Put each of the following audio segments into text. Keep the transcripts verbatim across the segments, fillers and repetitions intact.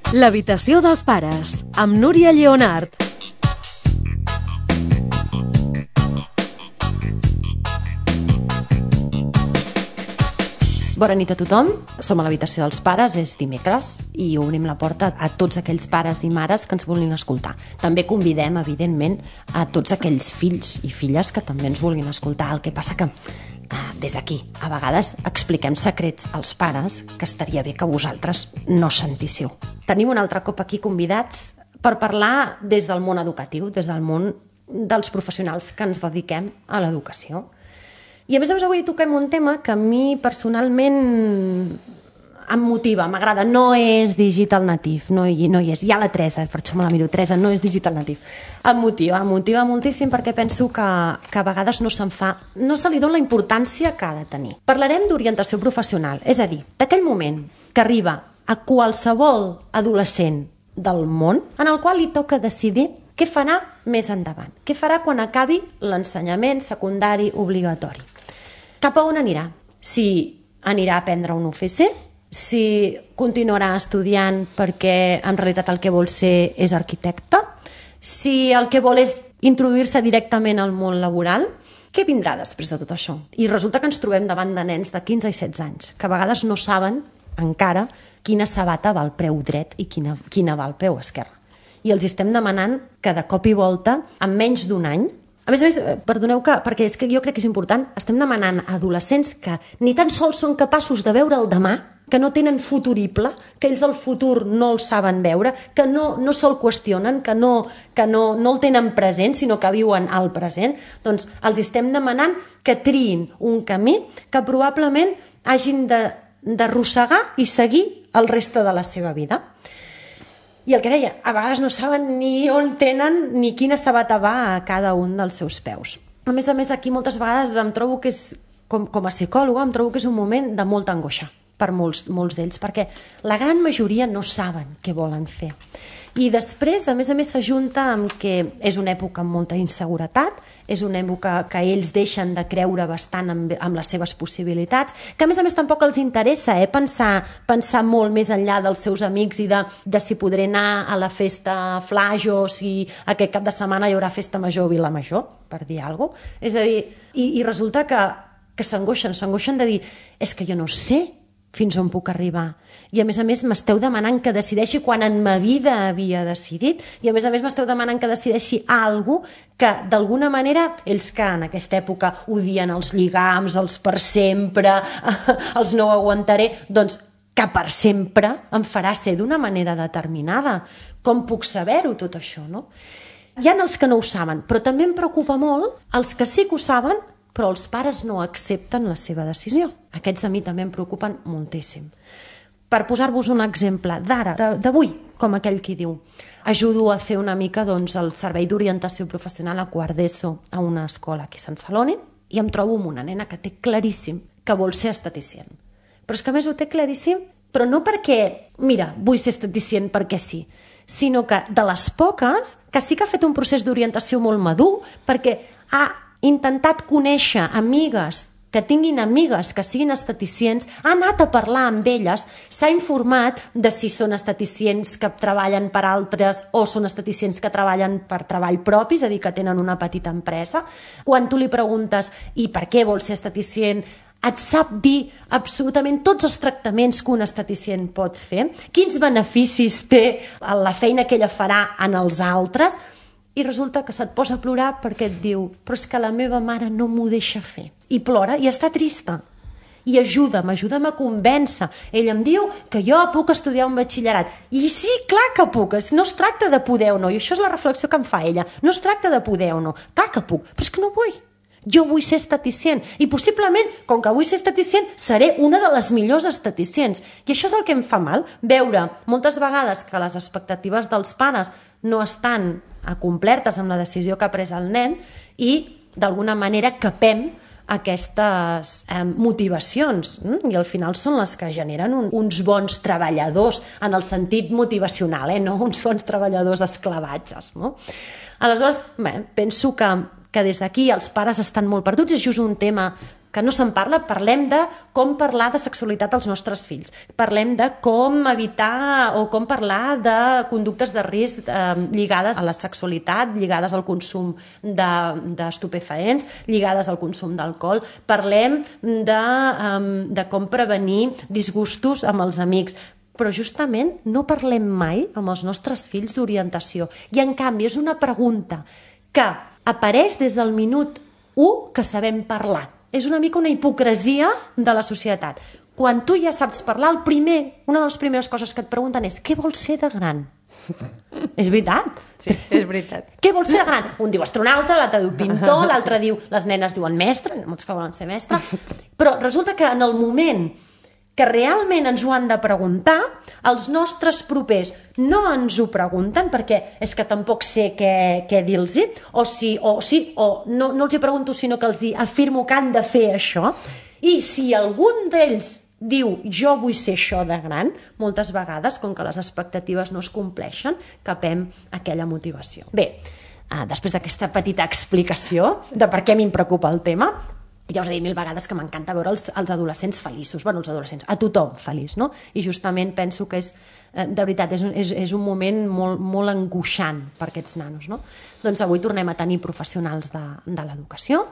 L'habitació dels pares, amb Núria Lleonart. Bona nit a tothom, som a l'habitació dels pares, és dimecres i obrim la porta a tots aquells pares i mares que ens vulguin escoltar. També convidem, evidentment, a tots aquells fills i filles que també ens vulguin escoltar. El que passa que des d'aquí, a vegades expliquem secrets als pares que estaria bé que vosaltres no sentíssiu. Tenim un altre cop aquí convidats per parlar des del món educatiu, des del món dels professionals que ens dediquem a l'educació. I a més a més avui toquem un tema que a mi personalment em motiva, m'agrada. No és digital native, no hi, no hi és. Hi ha la Teresa, per això me la miro. Teresa, no és digital native. Em motiva, em motiva moltíssim perquè penso que, que a vegades no se'n fa, no se li dona la importància que ha de tenir. Parlarem d'orientació professional, és a dir, d'aquell moment que arriba a qualsevol adolescent del món en el qual li toca decidir què farà més endavant, què farà quan acabi l'ensenyament secundari obligatori. Cap a on anirà? Si anirà a aprendre un U F C, si continuarà estudiant perquè en realitat el que vol ser és arquitecte, si el que vol és introduir-se directament al món laboral, què vindrà després de tot això? I resulta que ens trobem davant de nens de quinze i setze anys, que a vegades no saben encara quina sabata va al peu dret i quina, quina va al peu esquerre. I els estem demanant que de cop i volta, en menys d'un any, a més a més, perdoneu que, perquè és que jo crec que és important, estem demanant a adolescents que ni tan sols són capaços de veure el demà, que no tenen futurible, que ells el futur no el saben veure, que no, no se'l qüestionen, que, no, que no, no el tenen present, sinó que viuen al present, doncs els estem demanant que triïn un camí que probablement hagin d'arrossegar i seguir el reste de la seva vida. I el que deia, a vegades no saben ni on tenen ni quina sabata va a cada un dels seus peus. A més a més, aquí moltes vegades em trobo que és, com, com a psicòloga, em trobo que és un moment de molta angoixa per molts, molts d'ells, perquè la gran majoria no saben què volen fer. I després, a més a més, s'ajunta amb que és una època amb molta inseguretat, és una època que ells deixen de creure bastant amb, amb les seves possibilitats, que a més a més tampoc els interessa eh, pensar, pensar molt més enllà dels seus amics i de, de si podré anar a la festa Flaix o si aquest cap de setmana hi haurà festa major o Vilamajor, per dir alguna cosa. És a dir, i, i resulta que, que s'angoixen, s'angoixen de dir és que jo no sé fins on puc arribar. I a més a més m'esteu demanant que decideixi quan en ma vida havia decidit i a més a més m'esteu demanant que decideixi alguna cosa que d'alguna manera ells que en aquesta època odien els lligams, els per sempre, els no ho aguantaré, doncs que per sempre em farà ser d'una manera determinada. Com puc saber-ho tot això, no? Hi ha els que no ho saben, però també em preocupa molt els que sí que ho saben però els pares no accepten la seva decisió. Aquests a mi també em preocupen moltíssim. Per posar-vos un exemple d'ara, d'avui, com aquell qui diu, ajudo a fer una mica doncs, el servei d'orientació professional a quart d'ESO a una escola aquí a Sant Celoni i em trobo amb una nena que té claríssim que vol ser esteticient. Però és que a més ho té claríssim, però no perquè, mira, vull ser esteticient perquè sí, sinó que de les poques que sí que ha fet un procés d'orientació molt madur perquè ha intentat conèixer amigues que tinguin amigues que siguin esteticients, ha anat a parlar amb elles, s'ha informat de si són esteticients que treballen per altres o són esteticients que treballen per treball propi, és a dir, que tenen una petita empresa. Quan tu li preguntes i per què vol ser esteticient, et sap dir absolutament tots els tractaments que un esteticient pot fer, quins beneficis té la feina que ella farà en els altres, i resulta que se't posa a plorar perquè et diu però és que la meva mare no m'ho deixa fer. I plora i està trista. I ajuda'm, ajuda'm a convèncer. Ell em diu que jo puc estudiar un batxillerat. I sí, clar que puc. No es tracta de poder o no. I això és la reflexió que em fa ella. No es tracta de poder o no. Clar que puc, però és que no vull. Jo vull ser esteticient. I possiblement, com que vull ser esteticient, seré una de les millors esteticients. I això és el que em fa mal. Veure moltes vegades que les expectatives dels pares no estan complertes amb la decisió que ha pres el nen i d'alguna manera capem aquestes eh, motivacions eh? I al final són les que generen un, uns bons treballadors en el sentit motivacional, eh? No uns bons treballadors esclavatges, no? Aleshores, bé, penso que, que des d'aquí els pares estan molt perduts, és just un tema que no se'n parla, parlem de com parlar de sexualitat als nostres fills, parlem de com evitar o com parlar de conductes de risc eh, lligades a la sexualitat, lligades al consum d'estupefaents, de, lligades al consum d'alcohol, parlem de, um, de com prevenir disgustos amb els amics, però justament no parlem mai amb els nostres fills d'orientació. I en canvi és una pregunta que apareix des del minut u que sabem parlar. És una mica una hipocresia de la societat. Quan tu ja saps parlar, el primer, una de les primeres coses que et pregunten és què vols ser de gran? És veritat? Sí, és veritat. Què vols ser de gran? Un diu astronauta, l'altre diu pintor, l'altre diu... Les nenes diuen mestre, molts que volen ser mestre. Però resulta que en el moment que realment ens ho han de preguntar, els nostres propers no ens ho pregunten perquè és que tampoc sé què, què dir-los, o, si, o, sí, o no, no els hi pregunto, sinó que els hi afirmo que han de fer això, i si algun d'ells diu jo vull ser això de gran, moltes vegades, com que les expectatives no es compleixen, capem aquella motivació. Bé, després d'aquesta petita explicació de per què m'hi preocupa el tema, ja us he dit mil vegades que m'encanta veure els, els adolescents feliços, bueno, els adolescents, a tothom feliç, no? I justament penso que és, de veritat, és un, és, és un moment molt, molt angoixant per aquests nanos, no? Doncs avui tornem a tenir professionals de, de l'educació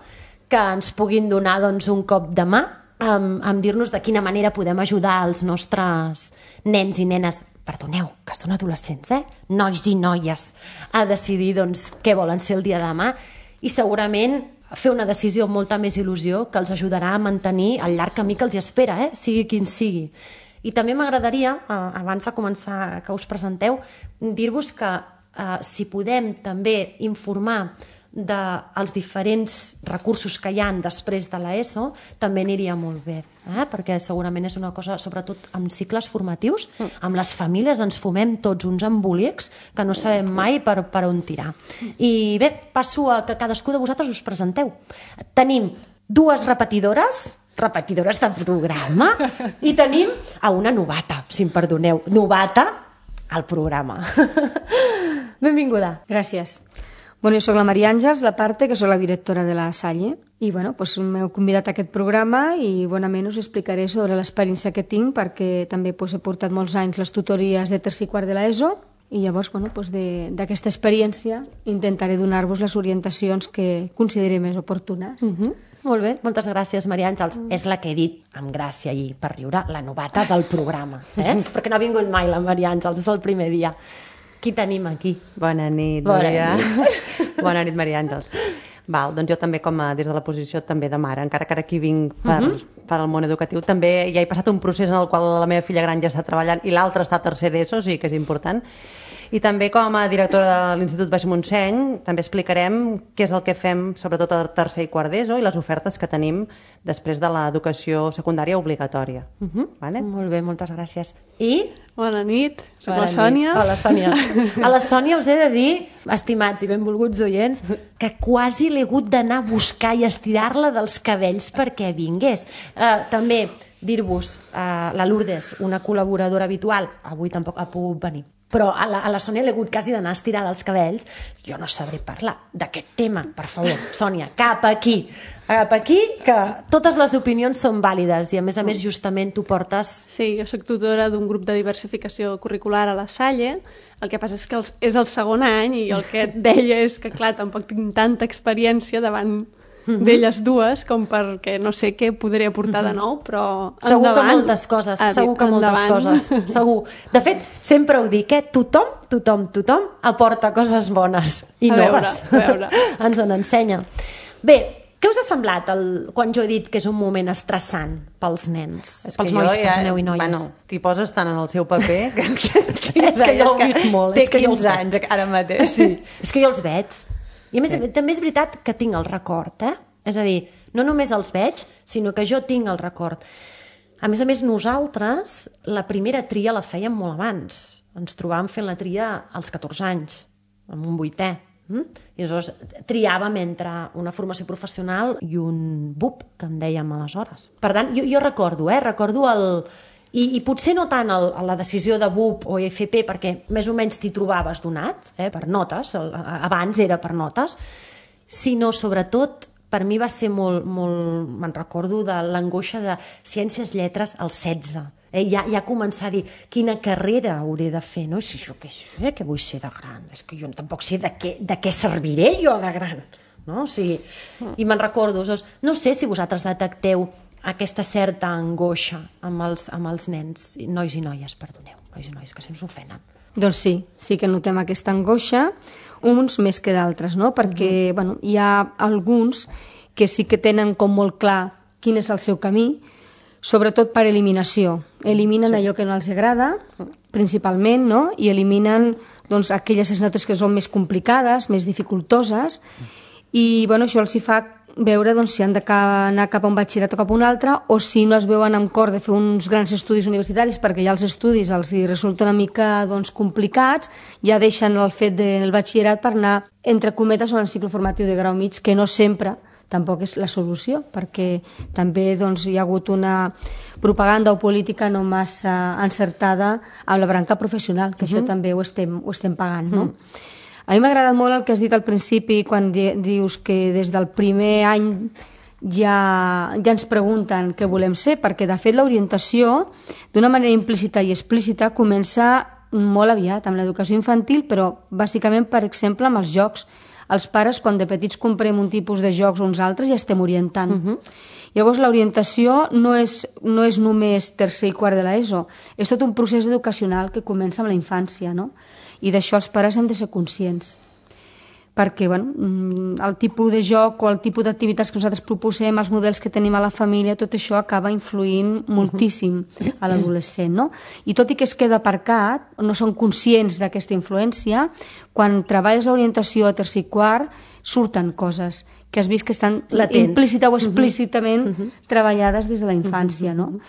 que ens puguin donar doncs, un cop de mà amb, amb dir-nos de quina manera podem ajudar els nostres nens i nenes, perdoneu, que són adolescents, eh? Nois i noies, a decidir doncs, què volen ser el dia de demà i segurament fer una decisió amb molta més il·lusió que els ajudarà a mantenir el llarg camí que els espera, eh? Sigui quin sigui. I també m'agradaria, eh, abans de començar que us presenteu, dir-vos que eh, si podem també informar dels diferents recursos que hi ha després de l'ESO, també aniria molt bé, eh? Perquè segurament és una cosa, sobretot amb cicles formatius, amb les famílies ens fumem tots uns embolics que no sabem mai per, per on tirar. I bé, passo a que cadascú de vosaltres us presenteu. Tenim dues repetidores, repetidores de programa, i tenim a una novata, si em perdoneu, novata al programa. Benvinguda. Gràcies. Bueno, jo soc la Maria Àngels Laparte, que soc la directora de la Salle, i bueno, pues, m'heu convidat a aquest programa i bonament us explicaré sobre l'experiència que tinc, perquè també pues, he portat molts anys les tutories de tercer i quart de l'ESO, i llavors bueno, pues, d'aquesta experiència intentaré donar-vos les orientacions que consideri més oportunes. Uh-huh. Molt bé, moltes gràcies, Maria Àngels. Mm. És la que he dit amb gràcia i per riure, la novata del programa, eh? Perquè no ha vingut mai la Maria Àngels, és el primer dia. Qui tenim aquí? Bona nit, Bona Maria. nit. Bona nit, Maria Àngels. Val, doncs jo també, com a, des de la posició també de mare, encara que ara aquí vinc per, uh -huh. per al món educatiu, també ja he passat un procés en el qual la meva filla gran ja està treballant i l'altra està a tercer d'ESO, o sigui que és important. I també com a directora de l'Institut Baix Montseny també explicarem què és el que fem sobretot a tercer i quart d'ESO i les ofertes que tenim després de l'educació secundària obligatòria. Uh -huh. Vale? Molt bé, moltes gràcies. I... Bona nit, soc Bona la Sònia. Nit. Hola, Sònia. A la Sònia us he de dir, estimats i benvolguts oients, que quasi l'he hagut d'anar a buscar i estirar-la dels cabells perquè vingués. Uh, també dir-vos, uh, la Lourdes, una col·laboradora habitual, avui tampoc ha pogut venir, però a la, a la Sònia l'he hagut quasi d'anar a estirar dels cabells. Jo no sabré parlar d'aquest tema, per favor, Sònia, cap aquí, cap aquí, que totes les opinions són vàlides i a més a més justament tu portes... Sí, jo soc tutora d'un grup de diversificació curricular a la Salle. El que passa és que els, és el segon any i el que et deia és que, clar, tampoc tinc tanta experiència davant Mm-hmm. d'elles dues com perquè no sé què podré aportar mm-hmm. de nou, però segur endavant. que moltes coses, Ah, segur que endavant. moltes coses, segur. De fet, sempre ho dic, eh? Tothom, tothom, tothom aporta coses bones i A veure, noves. a veure. Ens en ensenya. Bé, què us ha semblat el, quan jo he dit que és un moment estressant pels nens, És pels que nois, jo ja, perdoneu, i noies? Bueno, t'hi poses tant en el seu paper que, És que jo ho he vist molt, té és que jo els quinze veig. anys ara mateix. Sí, és que jo els veig. I a més, sí. també és veritat que tinc el record, eh? És a dir, no només els veig, sinó que jo tinc el record. A més a més, nosaltres la primera tria la fèiem molt abans. Ens trobàvem fent la tria als catorze anys, amb un vuitè. Mm? I aleshores triàvem entre una formació professional i un B U P, que en dèiem aleshores. Per tant, jo, jo recordo, eh? Recordo el... I, i potser no tant el, la decisió de B U P o F P, perquè més o menys t'hi trobaves donat, eh? Per notes, el, abans era per notes, sinó sobretot per mi va ser molt, molt me'n recordo de l'angoixa de ciències lletres als setze. Eh, ja, ja començar a dir quina carrera hauré de fer, no? I si jo què, eh, què vull ser de gran? És que jo tampoc sé de què, de què serviré jo de gran, no? O sigui, i me'n recordo, doncs, no sé si vosaltres detecteu aquesta certa angoixa amb els, amb els nens, nois i noies, perdoneu, nois i noies, que se'ns ofenen. Doncs sí, sí que notem aquesta angoixa, uns més que d'altres, no? Perquè, uh-huh. bueno, hi ha alguns que sí que tenen com molt clar quin és el seu camí, sobretot per eliminació. Eliminen sí. allò que no els agrada, principalment, no? I eliminen doncs, aquelles assignatures que són més complicades, més dificultoses, i bueno, això els hi fa veure doncs, si han d'anar cap a un batxillerat o cap a un altre, o si no es veuen amb cor de fer uns grans estudis universitaris perquè ja els estudis els hi resulta una mica doncs, complicats, ja deixen el fet del batxillerat per anar, entre cometes, a un cicle formatiu de grau mig, que no sempre tampoc és la solució, perquè també doncs, hi ha hagut una propaganda o política no massa encertada amb la branca professional, que uh-huh. això també ho estem, ho estem pagant, no? Uh-huh. A mi m'ha agradat molt el que has dit al principi quan di dius que des del primer any ja, ja ens pregunten què volem ser, perquè de fet l'orientació d'una manera implícita i explícita comença molt aviat amb l'educació infantil, però bàsicament, per exemple, amb els jocs. Els pares, quan de petits comprem un tipus de jocs o uns altres, ja estem orientant. Uh-huh. Llavors, l'orientació no, és, no és només tercer i quart de l'ESO, és tot un procés educacional que comença amb la infància, no? I d'això els pares han de ser conscients. Perquè bueno, el tipus de joc o el tipus d'activitats que nosaltres proposem, els models que tenim a la família, tot això acaba influint moltíssim a l'adolescent, no? I tot i que es queda aparcat, no són conscients d'aquesta influència, quan treballes l'orientació a tercer i quart, surten coses que has vist que estan latents, implícita o explícitament uh-huh. treballades des de la infància, no?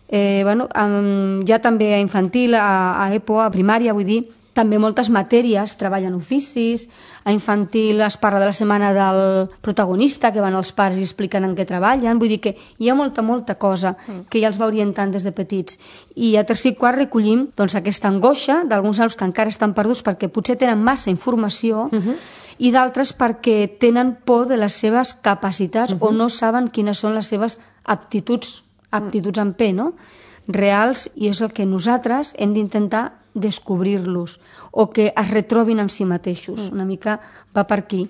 Eh, bueno, um, ja també a infantil, a, a EPO, a primària, vull dir, també moltes matèries treballen oficis, a infantil es parla de la setmana del protagonista, que van els pares i expliquen en què treballen, vull dir que hi ha molta, molta cosa que ja els va orientant des de petits. I a tercer i quart recollim doncs, aquesta angoixa d'alguns nanos que encara estan perduts perquè potser tenen massa informació uh-huh. i d'altres perquè tenen por de les seves capacitats uh-huh. o no saben quines són les seves aptituds, aptituds en P, no? reals, i és el que nosaltres hem d'intentar descobrir-los o que es retrobin amb si mateixos. Una mica va per aquí.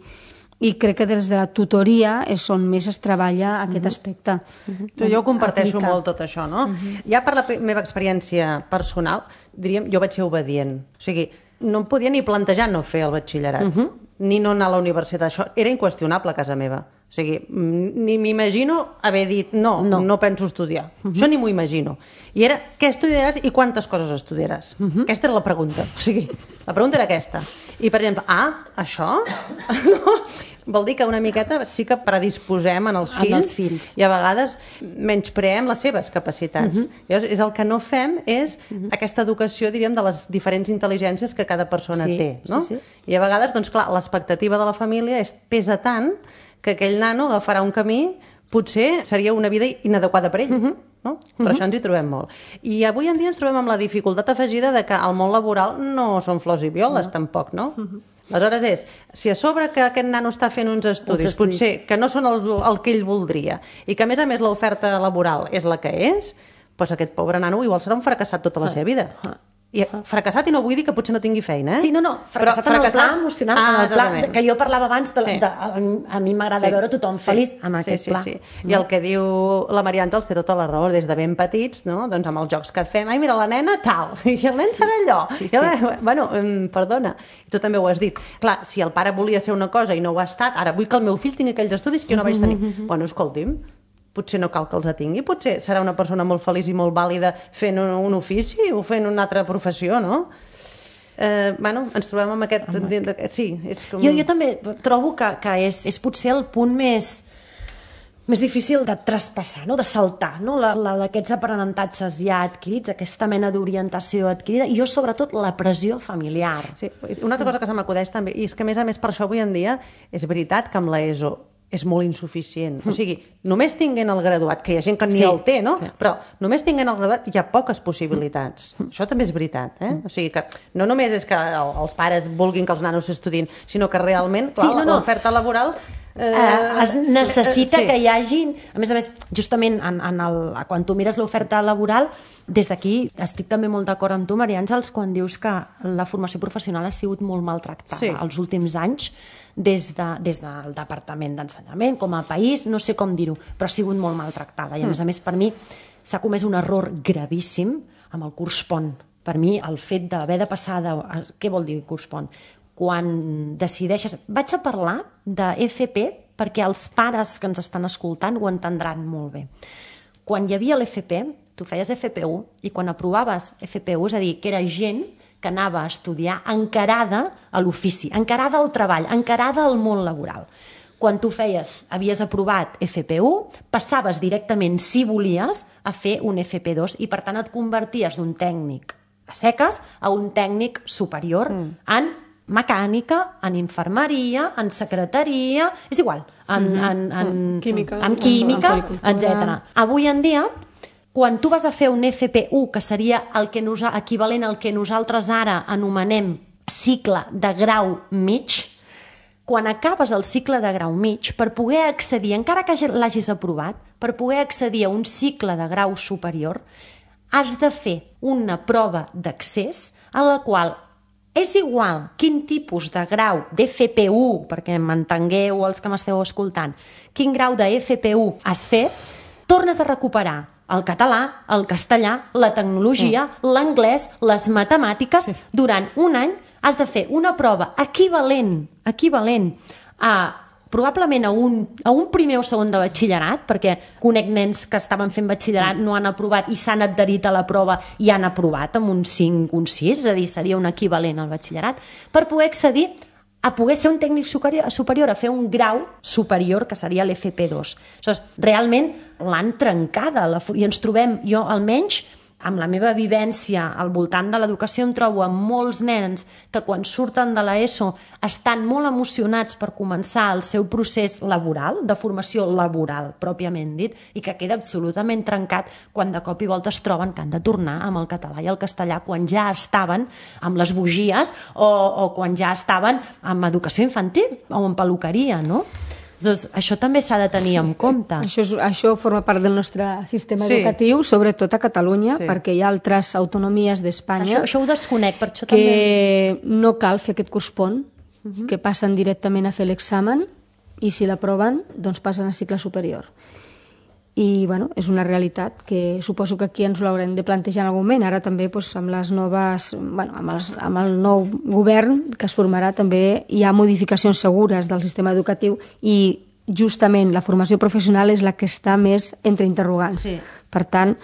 I crec que des de la tutoria és on més es treballa aquest uh-huh. aspecte. Uh-huh. Jo ho comparteixo aplicar. molt tot això, no? Uh-huh. Ja per la meva experiència personal, diríem, jo vaig ser obedient. O sigui, no em podia ni plantejar no fer el batxillerat, uh-huh. ni no anar a la universitat. Això era inqüestionable a casa meva. O sigui, ni m'imagino haver dit no, no, no penso estudiar. Uh-huh. Això ni m'ho imagino. I era, què estudiaràs i quantes coses estudiaràs? Uh-huh. Aquesta era la pregunta. O sigui, la pregunta era aquesta. I, per exemple, ah, això? No? Vol dir que una miqueta sí que predisposem en els fills, en els fills. I a vegades menyspreem les seves capacitats. Uh-huh. Llavors, és el que no fem és uh-huh. aquesta educació, diríem, de les diferents intel·ligències que cada persona sí, té. No? Sí, sí. I a vegades, doncs clar, l'expectativa de la família és, pesa tant que aquell nano agafarà un camí, potser seria una vida inadequada per ell. Uh-huh. No? Però uh-huh. això ens hi trobem molt. I avui en dia ens trobem amb la dificultat afegida de que el món laboral no són flors i violes, uh-huh. tampoc, no? Uh-huh. Aleshores és, si a sobre que aquest nano està fent uns estudis, uns estudis. potser que no són el, el que ell voldria, i que a més a més l'oferta laboral és la que és, doncs aquest pobre nano igual serà un fracassat tota la seva vida. Uh-huh. I fracassat, i no vull dir que potser no tingui feina, eh? Sí, no, no, fracassat, Però, fracassat... en el pla emocional, ah, en el pla que jo parlava abans, de, sí. de, a mi m'agrada sí. veure tothom sí. feliç amb sí, aquest sí, pla. Sí. Mm. I el que diu la Maria Àngels té tota la raó, des de ben petits, no? Doncs amb els jocs que fem, ai, mira, la nena, tal, i el nen sí. serà allò. Sí, sí. I, bueno, perdona, tu també ho has dit. Clar, si el pare volia ser una cosa i no ho ha estat, ara vull que el meu fill tingui aquells estudis que jo no vaig tenir. Mm-hmm. Bueno, escolti'm, potser no cal que els tingui, potser serà una persona molt feliç i molt vàlida fent un, un ofici o fent una altra professió, no? Eh, bueno, ens trobem amb aquest... Home, sí, és com... Jo, jo també trobo que, que és, és potser el punt més, més difícil de traspassar, no? De saltar, no? La, la d'aquests aprenentatges ja adquirits, aquesta mena d'orientació adquirida, i jo sobretot la pressió familiar. Sí. Una altra cosa que se m'acudeix també, i és que a més a més per això avui en dia és veritat que amb l'ESO és molt insuficient. O sigui, només tinguent el graduat, que hi ha gent que ni sí, el té, no? Sí. Però només tinguent el graduat hi ha poques possibilitats. Mm. Això també és veritat, eh? O sigui que no només és que els pares vulguin que els nanos s'estudin, sinó que realment, clar, sí, no, no. l'oferta laboral Uh, es necessita sí. que hi hagin... A més a més, justament en, en el, quan tu mires l'oferta laboral, des d'aquí estic també molt d'acord amb tu, Maria Àngels, quan dius que la formació professional ha sigut molt maltractada sí. els últims anys des, de, des del Departament d'Ensenyament, com a país, no sé com dir-ho, però ha sigut molt maltractada. I a més a més, per mi, s'ha comès un error gravíssim amb el curs pont. Per mi, el fet d'haver de passar de... Què vol dir curs pont? Quan decideixes... Vaig a parlar de F P perquè els pares que ens estan escoltant ho entendran molt bé. Quan hi havia l'F P, tu feies F P u i quan aprovaves F P u, és a dir, que era gent que anava a estudiar encarada a l'ofici, encarada al treball, encarada al món laboral. Quan tu feies, havies aprovat F P u, passaves directament, si volies, a fer un F P dos i per tant et converties d'un tècnic a seques a un tècnic superior mm. en mecànica, en infermeria, en secretaria, és igual, en, mm-hmm. en, en, mm. química, en química, etcètera. Avui en dia, quan tu vas a fer un F P u, que seria el que nos, equivalent al que nosaltres ara anomenem cicle de grau mig, quan acabes el cicle de grau mig, per poder accedir, encara que l'hagis aprovat, per poder accedir a un cicle de grau superior, has de fer una prova d'accés a la qual és igual quin tipus de grau d'F P u, perquè m'entengueu els que m'esteu escoltant, quin grau de F P u has fet, tornes a recuperar el català, el castellà, la tecnologia, mm. l'anglès, les matemàtiques, sí. Durant un any has de fer una prova equivalent, equivalent a probablement a un, a un primer o segon de batxillerat, perquè conec nens que estaven fent batxillerat, no han aprovat i s'han adherit a la prova i han aprovat amb un cinc, un sis, és a dir, seria un equivalent al batxillerat, per poder accedir a poder ser un tècnic superior, superior a fer un grau superior, que seria l'F P dos. Aleshores, realment l'han trencada la, i ens trobem, jo almenys, amb la meva vivència al voltant de l'educació em trobo amb molts nens que quan surten de l'ESO estan molt emocionats per començar el seu procés laboral, de formació laboral, pròpiament dit, i que queda absolutament trencat quan de cop i volta es troben que han de tornar amb el català i el castellà quan ja estaven amb les bugies o, o quan ja estaven amb educació infantil o en peluqueria, no? Doncs això també s'ha de tenir en compte. Això, és, això forma part del nostre sistema sí. educatiu, sobretot a Catalunya, sí. perquè hi ha altres autonomies d'Espanya això, això ho desconec, per això que també... no cal fer aquest curs pont, uh -huh. que passen directament a fer l'examen i si l'aproven, doncs passen a cicle superior. I bueno, és una realitat que suposo que aquí ens l'haurem de plantejar en algun moment. Ara també doncs, amb les noves, bueno, amb, els, amb el nou govern que es formarà també hi ha modificacions segures del sistema educatiu i justament la formació professional és la que està més entre interrogants. Sí. Per tant,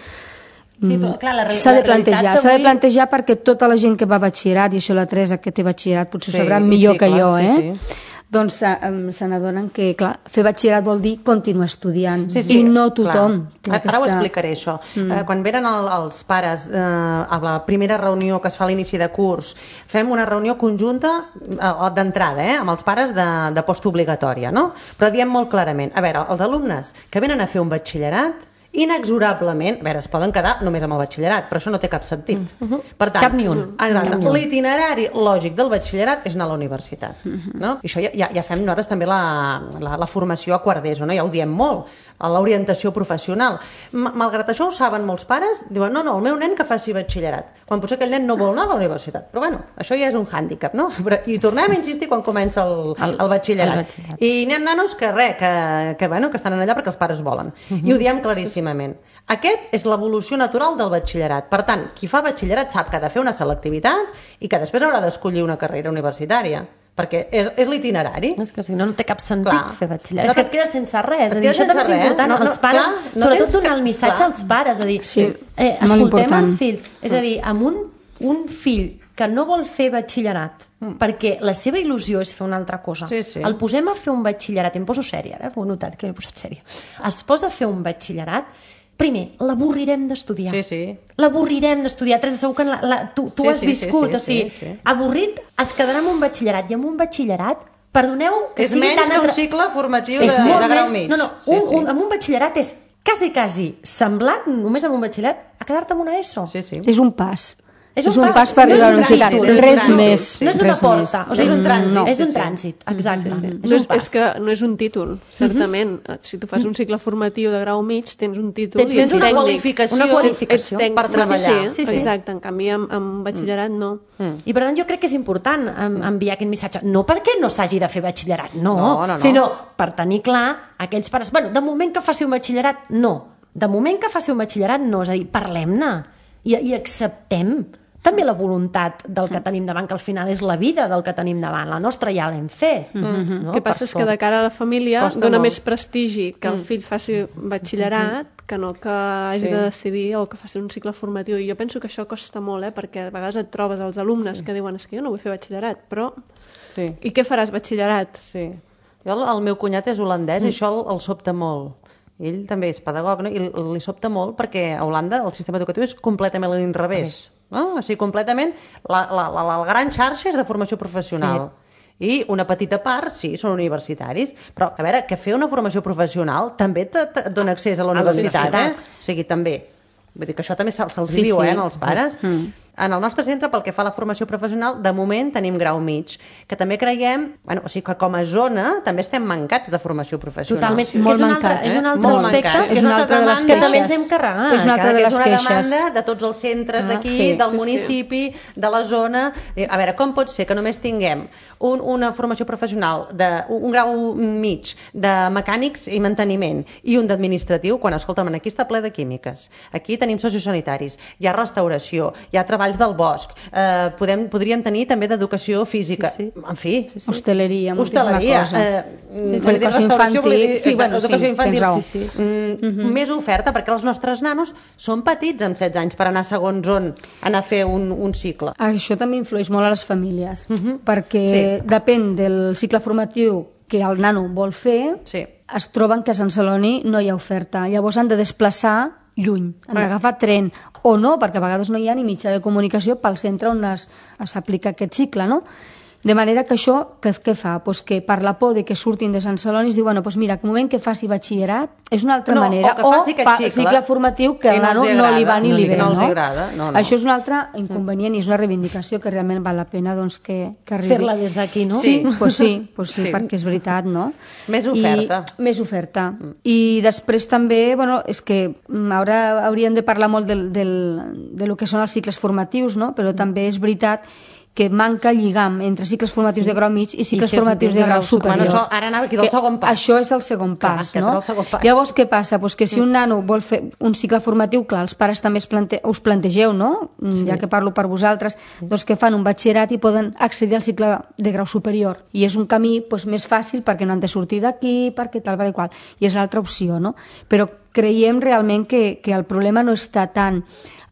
sí, però, clar, s'ha de plantejar, s'ha de plantejar perquè tota la gent que va a batxillerat, i això la Teresa que té batxillerat potser ho sabrà sí, millor sí, que clar, jo, eh? Sí, sí. Doncs um, se n'adonen que, clar, fer batxillerat vol dir continuar estudiant, sí, sí, i no tothom. Ara aquesta... ho explicaré, això. Mm. Uh, quan venen el, els pares uh, a la primera reunió que es fa a l'inici de curs, fem una reunió conjunta uh, d'entrada, eh, amb els pares de, de postobligatòria, no? Però diem molt clarament, a veure, els alumnes que venen a fer un batxillerat, inexorablement, a veure, es poden quedar només amb el batxillerat, però això no té cap sentit. Uh -huh. Per tant, cap ni un. L'itinerari lògic del batxillerat és anar a la universitat. Uh -huh. No? I això ja, ja, ja fem nosaltres també la, la, la formació a quart d'ESO, no? Ja ho diem molt, a l'orientació professional. Malgrat això ho saben molts pares, diuen, no, no, el meu nen que faci batxillerat, quan potser aquell nen no vol anar a la universitat. Però bueno, això ja és un hàndicap, no? Però, i tornem a insistir quan comença el, el, el, batxillerat. el batxillerat. I n'hi ha nanos que res, que, que, bueno, que estan allà perquè els pares volen. Uh -huh. I ho diem claríssim. Aquest és l'evolució natural del batxillerat. Per tant, qui fa batxillerat sap que ha de fer una selectivitat i que després haurà d'escollir una carrera universitària, perquè és, és l'itinerari. És que si no, no té cap sentit clar. fer batxillerat. No, és que et quedes sense res. Et dir, això també és important. No, no, els pares, clar, no sobretot donar que... el missatge clar. als pares, de dir, sí, eh, escoltem els fills. És a dir, amb un, un fill que no vol fer batxillerat mm. perquè la seva il·lusió és fer una altra cosa. Sí, sí. El posem a fer un batxillerat, em poso sèria, ara, ho he notat que m'he posat sèria. Es posa a fer un batxillerat. Primer, l'avorrirem d'estudiar. Sí, sí. L'avorrirem d'estudiar. Teresa, segur que la, la, tu, tu sí, has sí, viscut. Sí, sí, o sigui, sí, sí. avorrit es quedarà amb un batxillerat. I amb un batxillerat, perdoneu... Que és sigui menys tan que un atra... cicle formatiu és de, de grau menys... mig. No, no, sí, un, sí. un, amb un batxillerat és quasi, quasi semblant, només amb un batxillerat, a quedar-te amb una ESO. Sí, sí. És un pas. És un pas per arribar a la universitat, res més. No és una porta, o sigui, és un trànsit. és un trànsit, exacte. No és, és que no és un títol, certament. Si tu fas un cicle formatiu de grau mig, tens un títol Tens i ets una tècnic. qualificació, una qualificació Ets tècnic, per treballar. Sí, sí, sí. Exacte, en canvi amb, amb batxillerat no. I per tant jo crec que és important enviar aquest missatge, no perquè no s'hagi de fer batxillerat, no, No, no, no. sinó per tenir clar aquells pares, bueno, de moment que faci un batxillerat, no, de moment que faci un batxillerat, no, és a dir, parlem-ne i, i acceptem també la voluntat del que tenim davant, que al final és la vida del que tenim davant, la nostra ja l'hem fet. Mm-hmm. No? El que passa és que de cara a la família Costa dona molt. més prestigi que el fill faci batxillerat que no que hagi Sí. de decidir o que faci un cicle formatiu. I jo penso que això costa molt, eh? Perquè a vegades et trobes els alumnes que diuen és que jo no vull fer batxillerat, però... Sí. I què faràs batxillerat? Sí. Jo, el, el meu cunyat és holandès mm. i això el, el sobta molt. Ell també és pedagog, no? I li, li sobta molt perquè a Holanda el sistema educatiu és completament a l'inrevés. No? O sigui, completament la, la, la, la gran xarxa és de formació professional. Sí. I una petita part, sí, són universitaris. Però, a veure, que fer una formació professional també te, te dona accés a la universitat, eh? O sigui, també. Vull dir que això també se'ls se Sí, diu, sí. eh, als pares. Mm. En el nostre centre, pel que fa a la formació professional, de moment tenim grau mig, que també creiem, bueno, o sigui, que com a zona també estem mancats de formació professional. Totalment, Sí. Molt és un altre, mancats, és un eh? altre Molt aspecte mancats. que És una altra de les que també ens queixes. hem carregat. És una altra que, de que les és una queixes. demanda de tots els centres Ah, d'aquí, sí, del sí, municipi, de la zona. Eh, A veure, com pot ser que només tinguem un, una formació professional, de, un grau mig de mecànics i manteniment i un d'administratiu, quan, escolta'm, aquí està ple de químiques. Aquí tenim sociosanitaris, hi ha restauració, hi ha treballs del bosc, eh, podem, podríem tenir també d'educació física. Sí, sí. En fi, Sí, sí. Hostaleria, moltíssima hostaleria, cosa. eh, Sí, sí, volia dir educació restauració, volia dir, infantil. Sí, bueno, sí, educació infantil. tens raó. Sí, sí. Mm, més oferta, perquè els nostres nanos són petits amb setze anys per anar segons on anar a fer un, un cicle. Això també influeix molt a les famílies, perquè Sí. depèn del cicle formatiu que el nano vol fer, Sí. es troben que a Sant Celoni no hi ha oferta. Llavors han de desplaçar lluny, han d'agafar tren, o no, perquè a vegades no hi ha ni mitjà de comunicació pel centre on es- s'aplica aquest cicle, no? De manera que això, què, què fa? Pues que per la por de que surtin de Sant Celoni es diu, bueno, pues mira, que moment que faci batxillerat és una altra No, manera, o que faci aquest fa cicle, cicle formatiu que i al no nano els no, agrada, li va ni no li li- ve, no no? els agrada, no, no. Això és un altre inconvenient i és una reivindicació que realment val la pena doncs, que, que arribi. Fer-la des d'aquí, no? Sí, pues sí, pues sí, Sí. perquè és veritat, no? Més oferta. I, més oferta. I després també, bueno, és que mm, ara hauríem de parlar molt del, del, de lo que són els cicles formatius, no? Però també és veritat que manca lligam entre cicles formatius sí. de grau mig i cicles I formatius de grau superior. Bueno, això ara anava aquí del Que segon pas. Això és el segon Clar, pas, aquest no? és el segon pas. Llavors, què passa? Pues que si un nano vol fer un cicle formatiu, clar, els pares també es plante us plantegeu, no? Sí. Ja que parlo per vosaltres, doncs que fan un batxillerat i poden accedir al cicle de grau superior. I és un camí pues, més fàcil perquè no han de sortir d'aquí, perquè tal, per qual. I és l'altra opció, no? Però creiem realment que, que el problema no està tant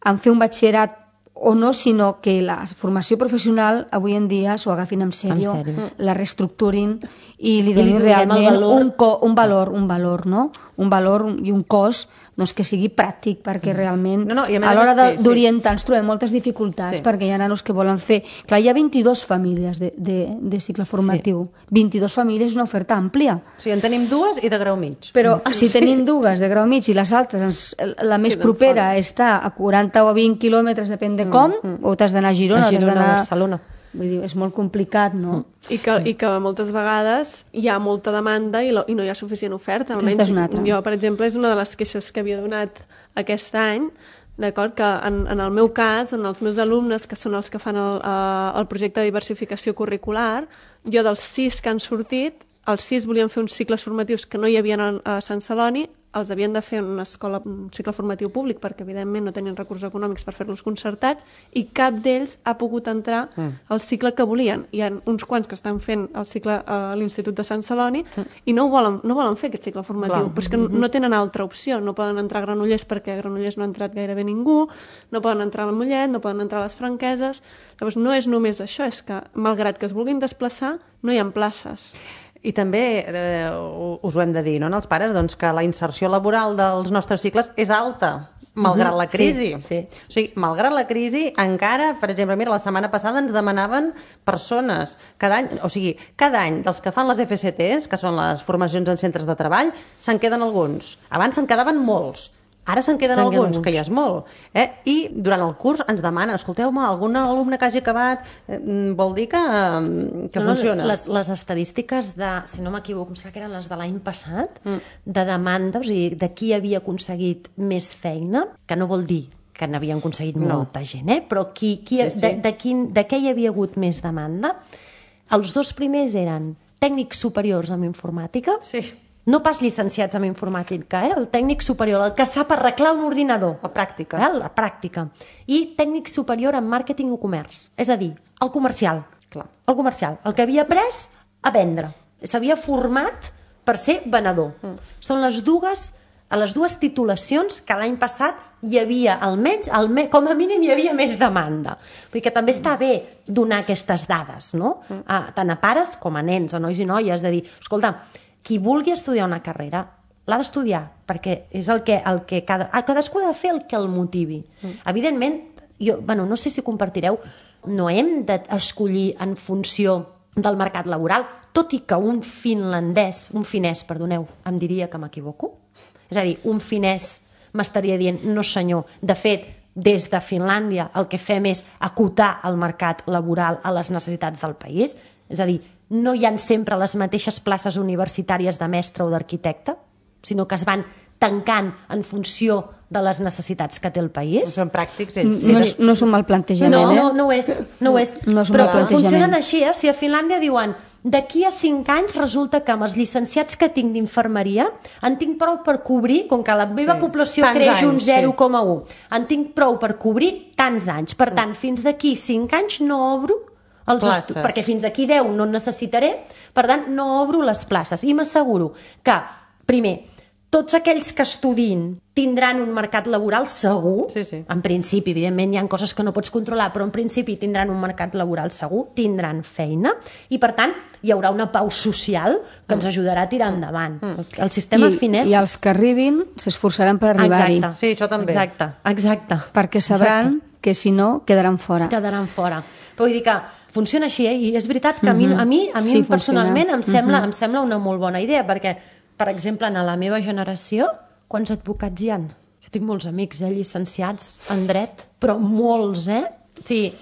en fer un batxillerat o no, sinó que la formació professional avui en dia s'ho agafin en sèrio, En sèrio. la reestructurin i li I li donin donem el realment valor. un, co un valor, un valor, no? Un valor i un cos doncs, que sigui pràctic, perquè realment No, no, i a més a a l'hora més, sí, sí. d'orientar ens trobem moltes dificultats, Sí. perquè hi ha nanos que volen fer... Clar, hi ha vint-i-dues famílies de, de, de cicle formatiu. vint-i-dues famílies és una oferta àmplia. Sí, en tenim dues i de grau mig. Però si tenim dues de grau mig i les altres, ens, la més Queden propera fora. està a quaranta o vint quilòmetres, depèn de com, o t'has d'anar a Girona, A o t'has Girona, d'anar... a Barcelona. Vull dir, és molt complicat, no? I que, I que moltes vegades hi ha molta demanda i, lo, i no hi ha suficient oferta. Aquesta és una altra. Jo, per exemple, és una de les queixes que havia donat aquest any, d'acord, que en, en el meu cas, en els meus alumnes, que són els que fan el, eh, el projecte de diversificació curricular, jo dels sis que han sortit, els sis volien fer uns cicles formatius que no hi havia a Sant Celoni, els havien de fer en una escola, un cicle formatiu públic, perquè evidentment no tenien recursos econòmics per fer-los concertats, i cap d'ells ha pogut entrar al cicle que volien. Hi ha uns quants que estan fent el cicle a l'Institut de Sant Celoni i no ho volen, no volen fer aquest cicle formatiu, Clar. però és que no tenen altra opció. No poden entrar a Granollers perquè a Granollers no ha entrat gairebé ningú, no poden entrar a Mollet, no poden entrar a les Franqueses. Llavors no és només això, és que malgrat que es vulguin desplaçar, no hi ha places. I també eh, us ho hem de dir, no, als pares, doncs, que la inserció laboral dels nostres cicles és alta, malgrat la crisi. Sí, sí. O sigui, malgrat la crisi, encara, per exemple, mira, la setmana passada ens demanaven persones. Cada any, o sigui, cada any dels que fan les F C Ts, que són les formacions en centres de treball, se'n queden alguns. Abans se'n quedaven molts. Ara se'n queden Se'n queden alguns, alguns. que ja és molt. Eh? I durant el curs ens demanen, escolteu-me, algun alumne que hagi acabat eh, vol dir que, eh, que No, no, funciona. Les, les estadístiques de, si no m'equivoco, em sembla que eren les de l'any passat, mm. de demanda, o sigui, de qui havia aconseguit més feina, que no vol dir que n'havien aconseguit No. molta gent, eh? Però qui, qui, Sí, sí. De, de, quin, de què hi havia hagut més demanda? Els dos primers eren tècnics superiors en informàtica, Sí. no pas llicenciats en informàtica, eh? El tècnic superior, el que sap arreglar un ordinador. La pràctica. Eh? La pràctica. I tècnic superior en màrqueting o comerç. És a dir, el comercial. Clar. El comercial. El que havia après a vendre. S'havia format per ser venedor. Mm. Són les dues, a les dues titulacions que l'any passat hi havia, almenys, almenys, com a mínim hi havia més demanda. Vull dir que també està bé donar aquestes dades, no? Mm. A, tant a pares com a nens, a nois i noies, de dir, escolta, qui vulgui estudiar una carrera l'ha d'estudiar, perquè és el que, el que cada, cadascú ha de fer el que el motivi. Mm. Evidentment, jo, bueno, no sé si compartireu, no hem d'escollir en funció del mercat laboral, tot i que un finlandès, un finès, perdoneu, em diria que m'equivoco. És a dir, un finès m'estaria dient, no senyor, de fet, des de Finlàndia el que fem és acotar el mercat laboral a les necessitats del país, és a dir, no hi ha sempre les mateixes places universitàries de mestre o d'arquitecte, sinó que es van tancant en funció de les necessitats que té el país. Són pràctics ells. No, és, no és un mal plantejament, No, eh? no, no ho és. No ho és. No és un Però mal plantejament. funcionen així, eh? O sigui, a Finlàndia diuen d'aquí a cinc anys resulta que amb els llicenciats que tinc d'infermeria en tinc prou per cobrir, com que la meva Sí. població Tants creix un anys, zero sí. coma un, en tinc prou per cobrir tants anys. Per tant, fins d'aquí cinc anys no obro els Places. estu- perquè fins d'aquí deu no en necessitaré, per tant, no obro les places. I m'asseguro que, primer, tots aquells que estudin tindran un mercat laboral segur. Sí, sí. En principi, evidentment, hi ha coses que no pots controlar, però en principi tindran un mercat laboral segur, tindran feina, i per tant hi haurà una pau social que ens ajudarà a tirar endavant. El sistema I, finès... I els que arribin s'esforçaran per arribar-hi, Exacte. Sí, això també. Exacte, exacte. perquè sabran que si no quedaran fora. Quedaran fora. Però vull dir que funciona així, eh? I és veritat que a mi, a mi, a mi Sí, personalment funciona. em sembla, em sembla una molt bona idea, perquè, per exemple, en la meva generació, quants advocats hi ha? Jo tinc molts amics, eh, llicenciats en dret, però molts, eh? Sí,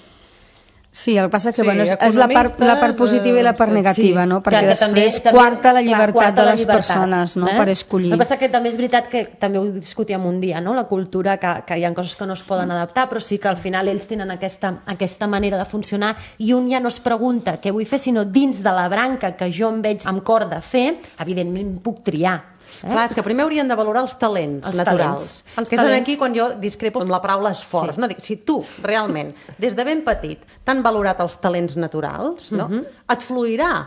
Sí, el que passa que Sí, bueno, és, és la, part, la part positiva i la part eh, negativa, sí. no? Perquè Que- que també- després també, quarta la clar, llibertat quarta de la les llibertat, persones, no? eh? Per escollir. El que passa que també és veritat que també ho discutíem un dia, no? La cultura, que, que hi ha coses que no es poden adaptar, però sí que al final ells tenen aquesta, aquesta manera de funcionar i un ja no es pregunta què vull fer, sinó dins de la branca que jo em veig amb cor de fer, evidentment puc triar. Eh? Clar, és que primer haurien de valorar els talents Els naturals. talents. Els que és talents. aquí quan jo discrepo amb la paraula esforç. Sí. No? Dic, si tu, realment, des de ben petit, t'han valorat els talents naturals, no? Mhm. et fluirà.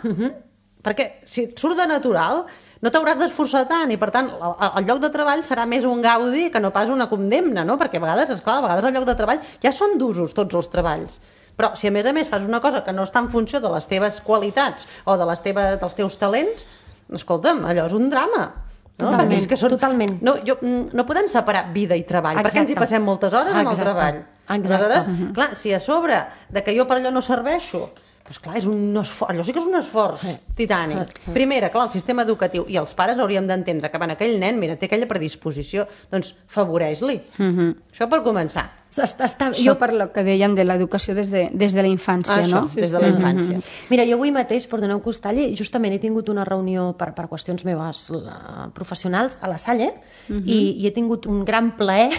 Perquè si et surt de natural, no t'hauràs d'esforçar tant i, per tant, el, el lloc de treball serà més un gaudi que no pas una condemna, no? Perquè a vegades, esclar, a vegades el lloc de treball ja són d'usos tots els treballs. Però si a més a més fas una cosa que no està en funció de les teves qualitats o de les teves, dels teus talents, escolta'm, allò és un drama. No? Totalment, Perquè és que són... totalment. No, jo, mm, no podem separar vida i treball, Exacte. perquè ens hi passem moltes hores en el Exacte. treball. Exacte. Aleshores, uh -huh. clar, si a sobre de que jo per allò no serveixo, doncs clar, és un esforç, allò sí que és un esforç titànic. Primera, clar, el sistema educatiu i els pares hauríem d'entendre que, bueno, aquell nen, mira, té aquella predisposició, doncs favoreix-li. Uh -huh. Això per començar. Està, està, Això jo... per lo que deien de l'educació des, de, des de la infància, Això, no? des de la infància. Mira, jo avui mateix, perdoneu que us talli, justament he tingut una reunió per, per qüestions meves uh, professionals a la Salle uh -huh. i, i he tingut un gran plaer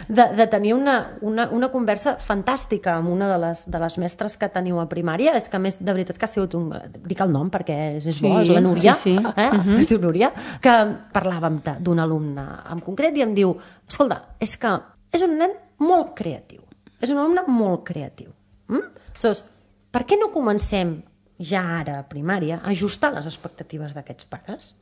de, de tenir una, una, una conversa fantàstica amb una de les, de les mestres que teniu a primària. És que, a més, de veritat que ha sigut un... Dic el nom perquè és, és Sí, bo, és la Núria. sí, sí. Eh? Uh -huh. Es diu Núria. Que parlàvem de- d'un alumne en concret i em diu, escolta, és que és un nen molt creatiu. És un alumne molt creatiu. Mm? Aleshores, per què no comencem ja ara a primària a ajustar les expectatives d'aquests pares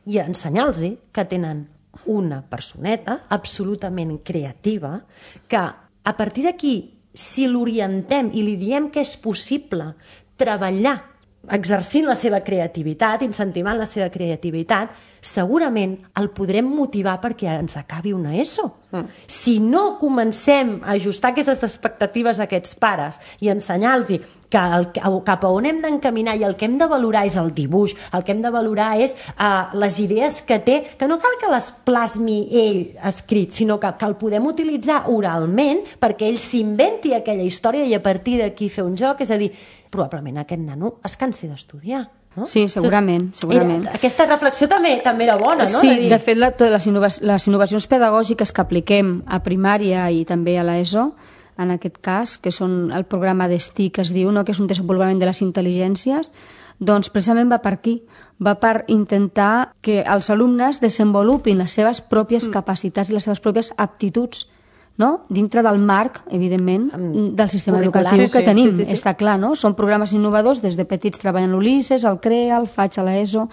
i a ensenyar-los que tenen una personeta absolutament creativa que a partir d'aquí, si l'orientem i li diem que és possible treballar exercint la seva creativitat, incentivant la seva creativitat, segurament el podrem motivar perquè ens acabi una ESO. Mm. Si no comencem a ajustar aquestes expectatives a aquests pares i ensenyar-los que el, cap a on hem d'encaminar i el que hem de valorar és el dibuix, el que hem de valorar és uh, les idees que té, que no cal que les plasmi ell escrit, sinó que, que el podem utilitzar oralment perquè ell s'inventi aquella història i a partir d'aquí fer un joc, és a dir, probablement aquest nano es cansi d'estudiar. No? Sí, segurament. segurament. Era, aquesta reflexió també també era bona, no? Sí, de, dir... de fet, la, les, innovacions, les innovacions pedagògiques que apliquem a primària i també a l'ESO, en aquest cas, que són el programa d'S T I, que es diu, no? Que és un desenvolupament de les intel·ligències, doncs precisament va per aquí. Va per intentar que els alumnes desenvolupin les seves pròpies mm. capacitats i les seves pròpies aptituds, no? Dintre del marc, evidentment, del sistema curricular, educatiu sí, que sí, tenim, sí, sí, sí. està clar, no? Són programes innovadors, des de petits treballen l'Ulisses, el CREA, el FAig a l'ESO,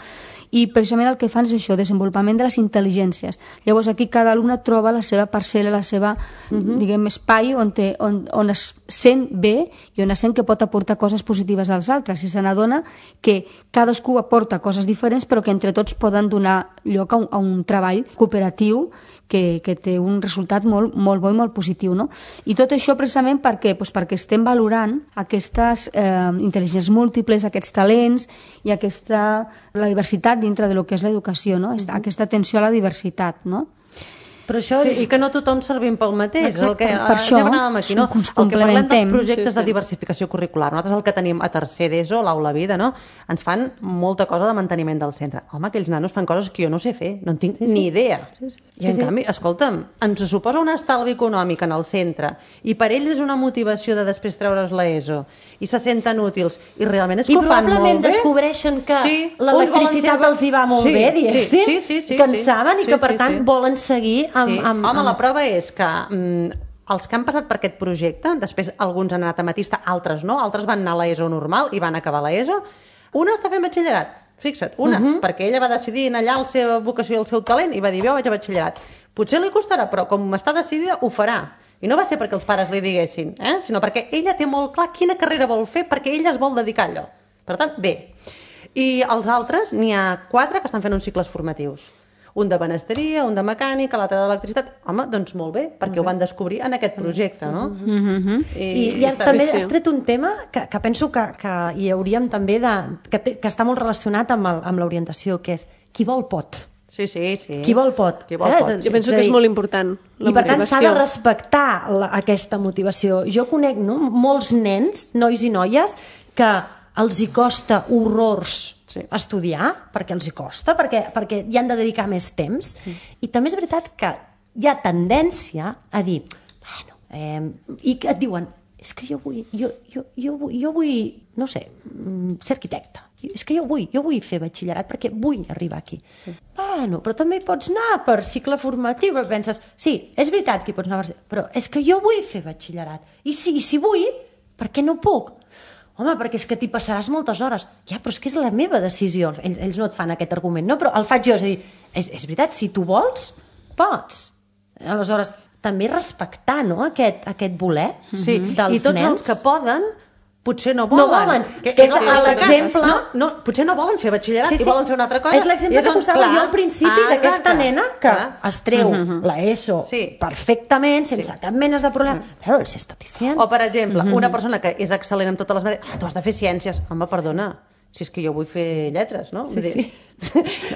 i precisament el que fan és això, desenvolupament de les intel·ligències. Llavors aquí cada alumne troba la seva parcel·la, la seva, uh-huh. diguem, espai on, té, on, on es sent bé i on es sent que pot aportar coses positives als altres i se n'adona que cadascú aporta coses diferents però que entre tots poden donar lloc a un, a un treball cooperatiu que, que té un resultat molt, molt bo i molt positiu, no? I tot això precisament perquè, doncs perquè estem valorant aquestes eh, intel·ligències múltiples, aquests talents i aquesta, la diversitat dintre de lo que és l'educació, no? Mm-hmm. Aquesta atenció a la diversitat, no? Però això sí, és... I que no tothom servim pel mateix. Exacte, el que, per això aquí, no? ens el que parlem dels projectes sí, sí. de diversificació curricular, nosaltres el que tenim a tercer d'ESO, l'aula vida, no? Ens fan molta cosa de manteniment del centre. Home, aquells nanos fan coses que jo no sé fer, no en tinc sí, sí. ni idea. Sí, sí. I en sí, canvi, sí. escolta'm, ens suposa un estalvi econòmic en el centre i per ells és una motivació de després treure's l'ESO i se senten útils i realment és que I ho fan molt bé. I probablement descobreixen que sí, l'electricitat ser... els hi va molt sí, bé, diguéssim, sí, sí, sí, sí, que en saben sí, i que sí, per sí, tant sí. volen seguir amb... Sí. amb, Home, amb... la prova és que mm, els que han passat per aquest projecte, després alguns han anat a Matista, altres no, altres van anar a l'ESO normal i van acabar l'ESO, una està fent batxillerat, fixa't, una, uh -huh. perquè ella va decidir anar allà la seva vocació i el seu talent i va dir, jo vaig a batxillerat. Potser li costarà, però com està decidida, ho farà. I no va ser perquè els pares li diguessin, eh? sinó perquè ella té molt clar quina carrera vol fer perquè ella es vol dedicar a allò. Per tant, bé. I els altres, n'hi ha quatre que estan fent uns cicles formatius. Un de benesteria, un de mecànica, l'altre d'electricitat. Home, doncs molt bé, perquè ho van descobrir en aquest projecte, no? Mm-hmm. I, I, i també has tret un tema que, que penso que, que hi hauríem també de... que, té, que està molt relacionat amb, el, amb l'orientació, que és qui vol pot. Sí, sí, sí. Qui vol pot. Qui vol eh? pot. Jo penso que és molt important, la I per motivació. tant s'ha de respectar la, aquesta motivació. Jo conec no, molts nens, nois i noies, que els hi costa horrors sí. estudiar, perquè els hi costa, perquè, perquè hi han de dedicar més temps. Sí. I també és veritat que hi ha tendència a dir, bueno, eh, i que et diuen, és que jo vull, jo, jo, jo, vull, jo vull, no sé, ser arquitecte. És que jo vull, jo vull fer batxillerat perquè vull arribar aquí. Sí. Bueno, però també pots anar per cicle formatiu, però penses, sí, és veritat que hi pots anar per... però és que jo vull fer batxillerat. I si, i si vull, per què no puc? Home, perquè és que t'hi passaràs moltes hores. Ja, però és que és la meva decisió. Ells, ells no et fan aquest argument, no? Però el faig jo, és a dir, és, és veritat, si tu vols, pots. Aleshores, també respectar, no?, aquest, aquest voler sí. dels I tots nens. els que poden potser no volen. No volen. Que, que és sí, l'exemple... No, no, potser no volen fer batxillerat sí, sí. i volen fer una altra cosa. És l'exemple que posava jo al principi ah, d'aquesta nena que clar. es treu uh -huh. l'ESO sí. perfectament, sense sí. cap mena de problema. Uh -huh. Però els està dient. O, per exemple, uh -huh. una persona que és excel·lent en totes les matèries, ah, tu has de fer ciències. Home, perdona, si és que jo vull fer lletres, no? Sí, sí.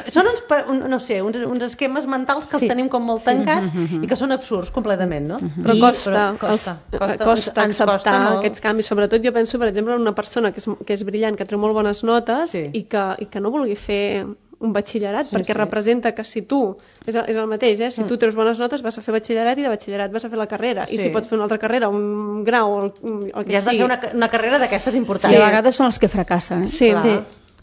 Són uns, no sé, uns, uns esquemes mentals que sí. els tenim com molt tancats sí. i que són absurds completament, no? Però I, costa, però costa, els, costa, costa ens, acceptar ens costa aquests canvis. Sobretot jo penso, per exemple, en una persona que és, que és brillant, que treu molt bones notes sí. i, que, i que no vulgui fer un batxillerat, sí, perquè sí. representa que si tu, és el, és el mateix, eh? si tu treus bones notes vas a fer batxillerat i de batxillerat vas a fer la carrera, sí. i si pots fer una altra carrera, un grau, el, el que ja has de fer una, una carrera d'aquestes importants. Sí, a vegades són els que fracassen. Eh? Sí, sí.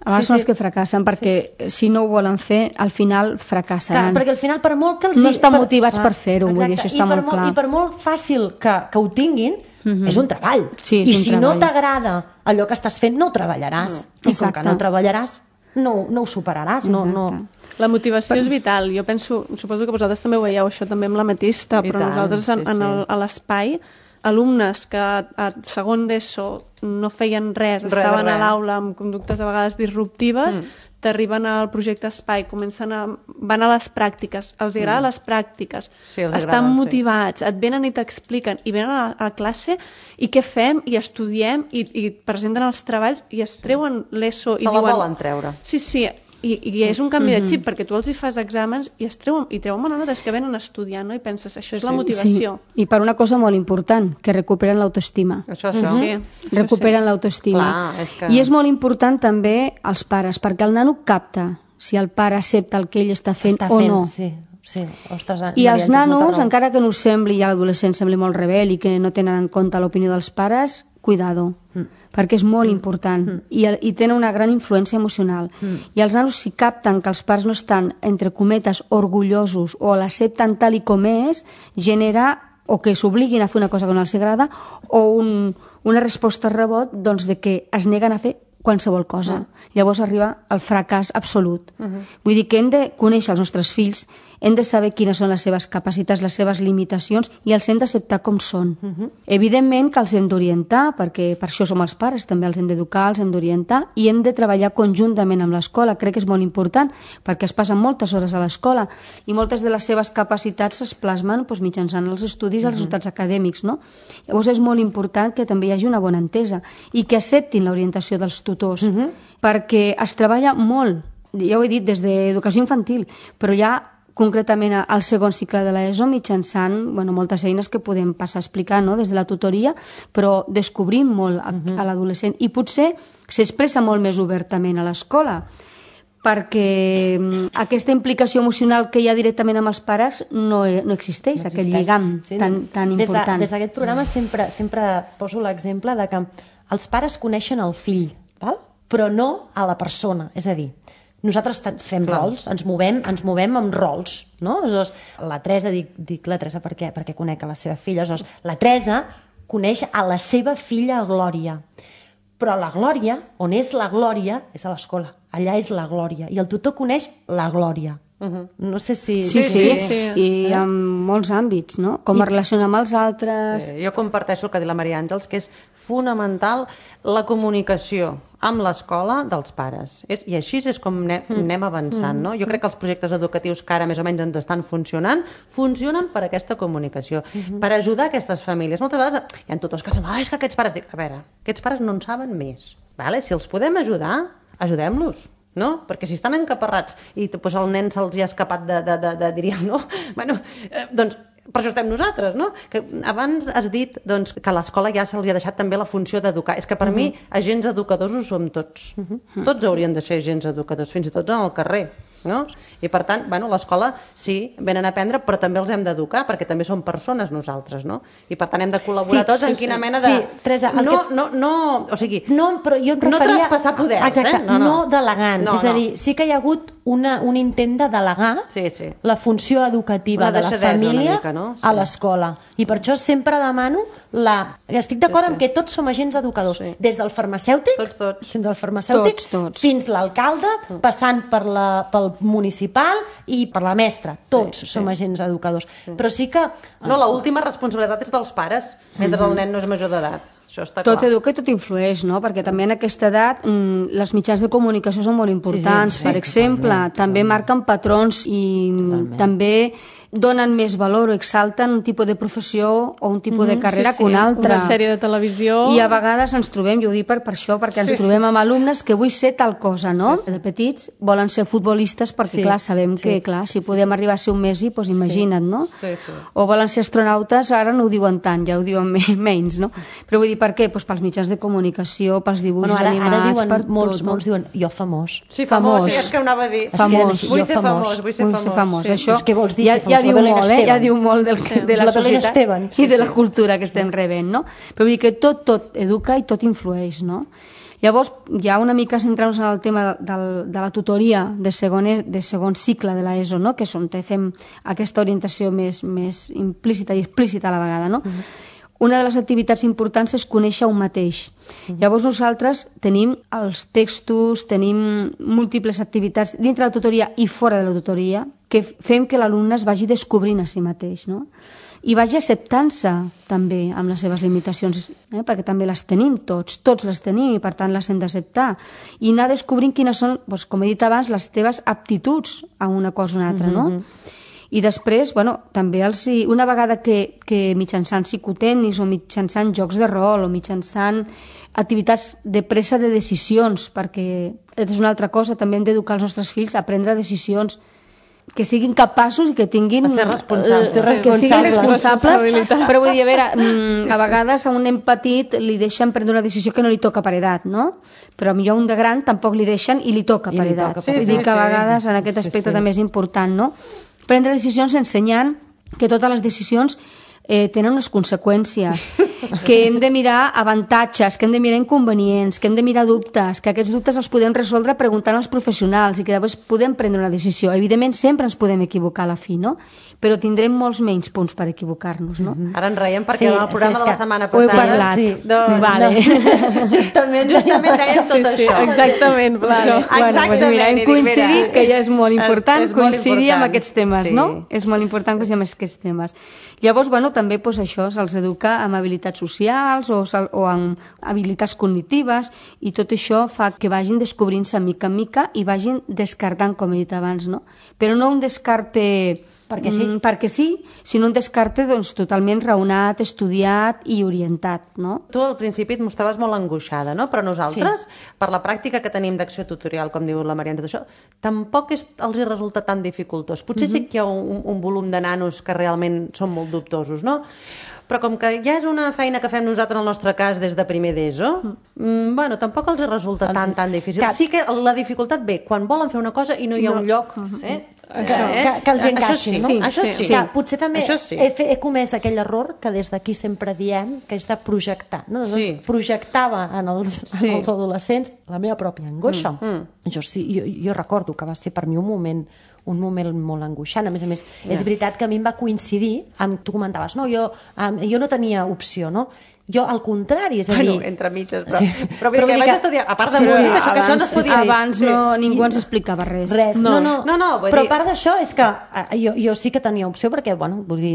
A vegades sí, són els que fracassen perquè sí. si no ho volen fer, al final fracassen. Clar, perquè al final per molt que els... No estan per... motivats ah, per fer-ho, vull dir, això està molt, molt clar. I per molt fàcil que, que ho tinguin, uh-huh. és un treball. Sí, és I un si treball. no t'agrada allò que estàs fent, no ho treballaràs. No. I com que no ho treballaràs, no, no ho superaràs. No, no... La motivació però... és vital. Jo penso, suposo que vosaltres també ho veieu això també amb l'ametista, però tant, nosaltres en, sí, sí. en el, a l'espai alumnes que a, a segon d'ESO no feien res, Res, estaven res. a l'aula amb conductes a vegades disruptives, mm. t'arriben al projecte Espai, comencen a, van a les pràctiques, els agrada mm. les pràctiques, Sí, els estan agraden, motivats, sí. et venen i t'expliquen, i venen a, a classe i què fem, i estudiem, i, i presenten els treballs, i es treuen l'ESO. Se i la diuen, volen treure. Sí, sí, i, i és un canvi mm-hmm. de xip, perquè tu els hi fas exàmens i es treuen, i treuen bona nota, és que venen a estudiar, no? I penses, això és la motivació. Sí. I per una cosa molt important, que recuperen l'autoestima. Això, això. Sí, Recuperen sí. l'autoestima. Clar, és que- I és molt important també els pares, perquè el nano capta si el pare accepta el que ell està fent Està o fent, no. sí. Sí, ostres, I els nanos, encara... encara que no us sembli, i a l'adolescent sembli molt rebel i que no tenen en compte l'opinió dels pares, cuidado, mm. perquè és molt mm. important mm. I, i tenen una gran influència emocional. Mm. I els nanos, si capten que els pares no estan, entre cometes, orgullosos o l'accepten tal i com és, genera o que s'obliguin a fer una cosa que no els agrada o un, una resposta rebot doncs, de que es neguen a fer qualsevol cosa. Mm. Llavors arriba el fracàs absolut. Mm-hmm. Vull dir que hem de conèixer els nostres fills, hem de saber quines són les seves capacitats, les seves limitacions, i els hem d'acceptar com són. Mm-hmm. Evidentment que els hem d'orientar, perquè per això som els pares, també els hem d'educar, els hem d'orientar, i hem de treballar conjuntament amb l'escola. Crec que és molt important, perquè es passen moltes hores a l'escola, i moltes de les seves capacitats es plasmen doncs, mitjançant els estudis i els resultats acadèmics. No? Llavors és molt important que també hi hagi una bona entesa, i que acceptin l'orientació dels tutors, uh-huh. perquè es treballa molt, ja ho he dit, des d'educació infantil, però ja concretament al segon cicle de l'ESO mitjançant bueno, moltes eines que podem passar a explicar no? Des de la tutoria, però descobrim molt a, uh-huh. a l'adolescent i potser s'expressa molt més obertament a l'escola, perquè aquesta implicació emocional que hi ha directament amb els pares no, no existeix, no aquest lligam sí, tan, tan important. Des d'aquest programa sempre, sempre poso l'exemple de que els pares coneixen el fill, val? Però no a la persona, és a dir, nosaltres fem Clar. rols, ens movem, ens movem amb rols, no? Aleshores, la Teresa, dic, dic la Teresa perquè, perquè conec a la seva filla, aleshores, la Teresa coneix a la seva filla Glòria, però la Glòria, on és la Glòria, és a l'escola, allà és la Glòria, i el tutor coneix la Glòria. Uh-huh. No sé si... Sí, sí, sí. sí. I eh? en molts àmbits, no? Com I... es relaciona amb els altres... Sí, jo comparteixo el que ha dit la Maria Àngels, que és fonamental la comunicació amb l'escola dels pares. És, I així és com anem, mm. anem avançant, mm. no? Jo crec que els projectes educatius que ara més o menys ens estan funcionant, funcionen per aquesta comunicació, mm-hmm. per ajudar aquestes famílies. Moltes vegades hi ha tutors que diuen, ah, és que aquests pares... Dic, a veure, aquests pares no en saben més. Vale? Si els podem ajudar, ajudem-los. No? Perquè si estan encaparrats i doncs, el nen se'ls ha escapat de, de, de, de diríem, no? Bueno, eh, doncs per això estem nosaltres, no? Que abans has dit doncs, que a l'escola ja se'ls ha deixat també la funció d'educar. És que per uh-huh. mi agents educadors ho som tots. Uh-huh. Tots haurien de ser agents educadors, fins i tot en el carrer. No? I per tant, bueno, l'escola sí, venen a aprendre, però també els hem d'educar, perquè també som persones nosaltres, no? I per tant hem de col·laborar sí, tots en sí, quina mena de... Sí, Teresa, no, que... no, no, o sigui, no, però jo em referia... no traspassar poders, Exacte, eh? No, no. no delegant. No, és a dir, no. sí que hi ha hagut una, un intent de delegar sí, sí. la funció educativa una de la família mica, no? sí. a l'escola. I per això sempre demano la... Estic d'acord sí, sí. en que tots som agents educadors, sí. des del farmacèutic, tots, tots. fins al farmacèutic, tots, tots. fins l'alcalde, sí. passant per la, pel municipal i per la mestra. Tots sí, som sí. agents educadors. Sí. Però sí que... No, l'última responsabilitat és dels pares, mentre mm-hmm. el nen no és major d'edat. Això està clar. Tot educa i tot influeix, no? Perquè també en aquesta edat mmm, les mitjans de comunicació són molt importants. Sí, sí, sí, per exemple, totalment, també totalment. marquen patrons i totalment. també donen més valor o exalten un tipus de professió o un tipus mm-hmm, de carrera sí, sí. que un altre. Una sèrie de televisió... I a vegades ens trobem, jo ho dic per, per això, perquè ens sí. trobem amb alumnes que vull ser tal cosa, no? Sí, sí. De petits volen ser futbolistes perquè, sí, clar, sabem sí. que, clar, si podem sí. arribar a ser un Messi, doncs imagina't, no? Sí, sí. O volen ser astronautes, ara no ho diuen tant, ja ho diuen menys, no? Però vull dir, per què? Doncs pels mitjans de comunicació, pels dibuixos bueno, ara, animats, ara diuen, per molts, tot, no? molts diuen, jo famós. Sí, famós, famós. Sí, és que ho anava a dir. Famós. Vull ser famós, vull ser famós. Ser famós. Sí. Això què vols dir, ja, ja diu molt, eh? Ja diu molt del, sí. de la, la societat Esteban. i de la cultura que estem rebent, no? Però vull dir que tot, tot educa i tot influeix, no? Llavors, ja una mica centrant-nos en el tema de, de la tutoria de segon, de segon cicle de l'ESO, no? Que és on fem aquesta orientació més, més implícita i explícita a la vegada, no? Uh-huh. una de les activitats importants és conèixer un mateix. Mm. Llavors nosaltres tenim els textos, tenim múltiples activitats dintre la tutoria i fora de la tutoria que fem que l'alumne es vagi descobrint a si mateix, no? I vagi acceptant-se també amb les seves limitacions, eh? perquè també les tenim tots, tots les tenim i per tant les hem d'acceptar. I anar descobrint quines són, doncs, com he dit abans, les teves aptituds a una cosa o una altra, no? Mm-hmm. I després, bueno, també els, una vegada que, que mitjançant psicotècnics o mitjançant jocs de rol o mitjançant activitats de presa de decisions, perquè és una altra cosa, també hem d'educar els nostres fills a prendre decisions que siguin capaços i que tinguin... A ser responsables. Eh, que siguin responsables, però vull dir, a veure, mm, a vegades a un nen petit li deixen prendre una decisió que no li toca per edat, no? Però a millor un de gran tampoc li deixen i li toca per edat. Sí, vull dir que a vegades en aquest aspecte també és important, no? Prendre decisions ensenyant que totes les decisions eh, tenen unes conseqüències, que hem de mirar avantatges, que hem de mirar inconvenients, que hem de mirar dubtes, que aquests dubtes els podem resoldre preguntant als professionals i que després podem prendre una decisió. Evidentment, sempre ens podem equivocar a la fi, no? Però tindrem molts menys punts per equivocar-nos, no? Mm-hmm. Ara en reiem perquè sí, en el programa sí, de la setmana passada... Ho he parlat. Sí, doncs, vale. no. Justament, justament dèiem tot sí, sí, això. Exactament. Vale. Bueno, doncs mira, hem coincidit, que ja és molt important, és, és molt coincidir important. amb aquests temes, Sí. no? És molt important coincidir amb aquests temes. Llavors, bueno, també doncs, això se'ls educa amb habilitats socials o, o amb habilitats cognitives i tot això fa que vagin descobrint-se mica en mica i vagin descartant, com he dit abans, no? Però no un descarte... Perquè sí. Mm, perquè sí, sinó un descarte doncs, totalment raonat, estudiat i orientat, no? Tu al principi et mostraves molt angoixada, no? Però nosaltres, sí. per la pràctica que tenim d'acció tutorial, com diu la Maria, tot això, tampoc és, els hi resulta tan dificultós. Potser uh-huh. sí que hi ha un, un volum de nanos que realment són molt dubtosos, no? Però com que ja és una feina que fem nosaltres en el nostre cas des de primer d'ESO, mm, bueno, tampoc els resulta els... tan, tan difícil. Cap. Sí que la dificultat ve quan volen fer una cosa i no hi ha no. un lloc... Eh? Que, que, que els encaixi, sí, no? Sí, això sí. sí. Que potser també sí. he, fe, he comès aquell error que des d'aquí sempre diem, que és de projectar. No? Sí. Projectava en els, sí. en els adolescents la meva pròpia angoixa. Mm, mm. Jo, sí, jo, jo recordo que va ser per mi un moment un moment molt angoixant. A més a més, yeah. és veritat que a mi em va coincidir amb, tu comentaves, no? Jo, um, jo no tenia opció, no? Jo, al contrari, és a dir... Bueno, entre mitges, però... Sí. Però, però vull dir que vaig estudiar, a part de sí, música, sí, això, que això no es podia... Abans no, ningú ens explicava res. Res, no, no. no, no però dir... a part d'això és que jo, jo sí que tenia opció perquè, bueno, vull dir,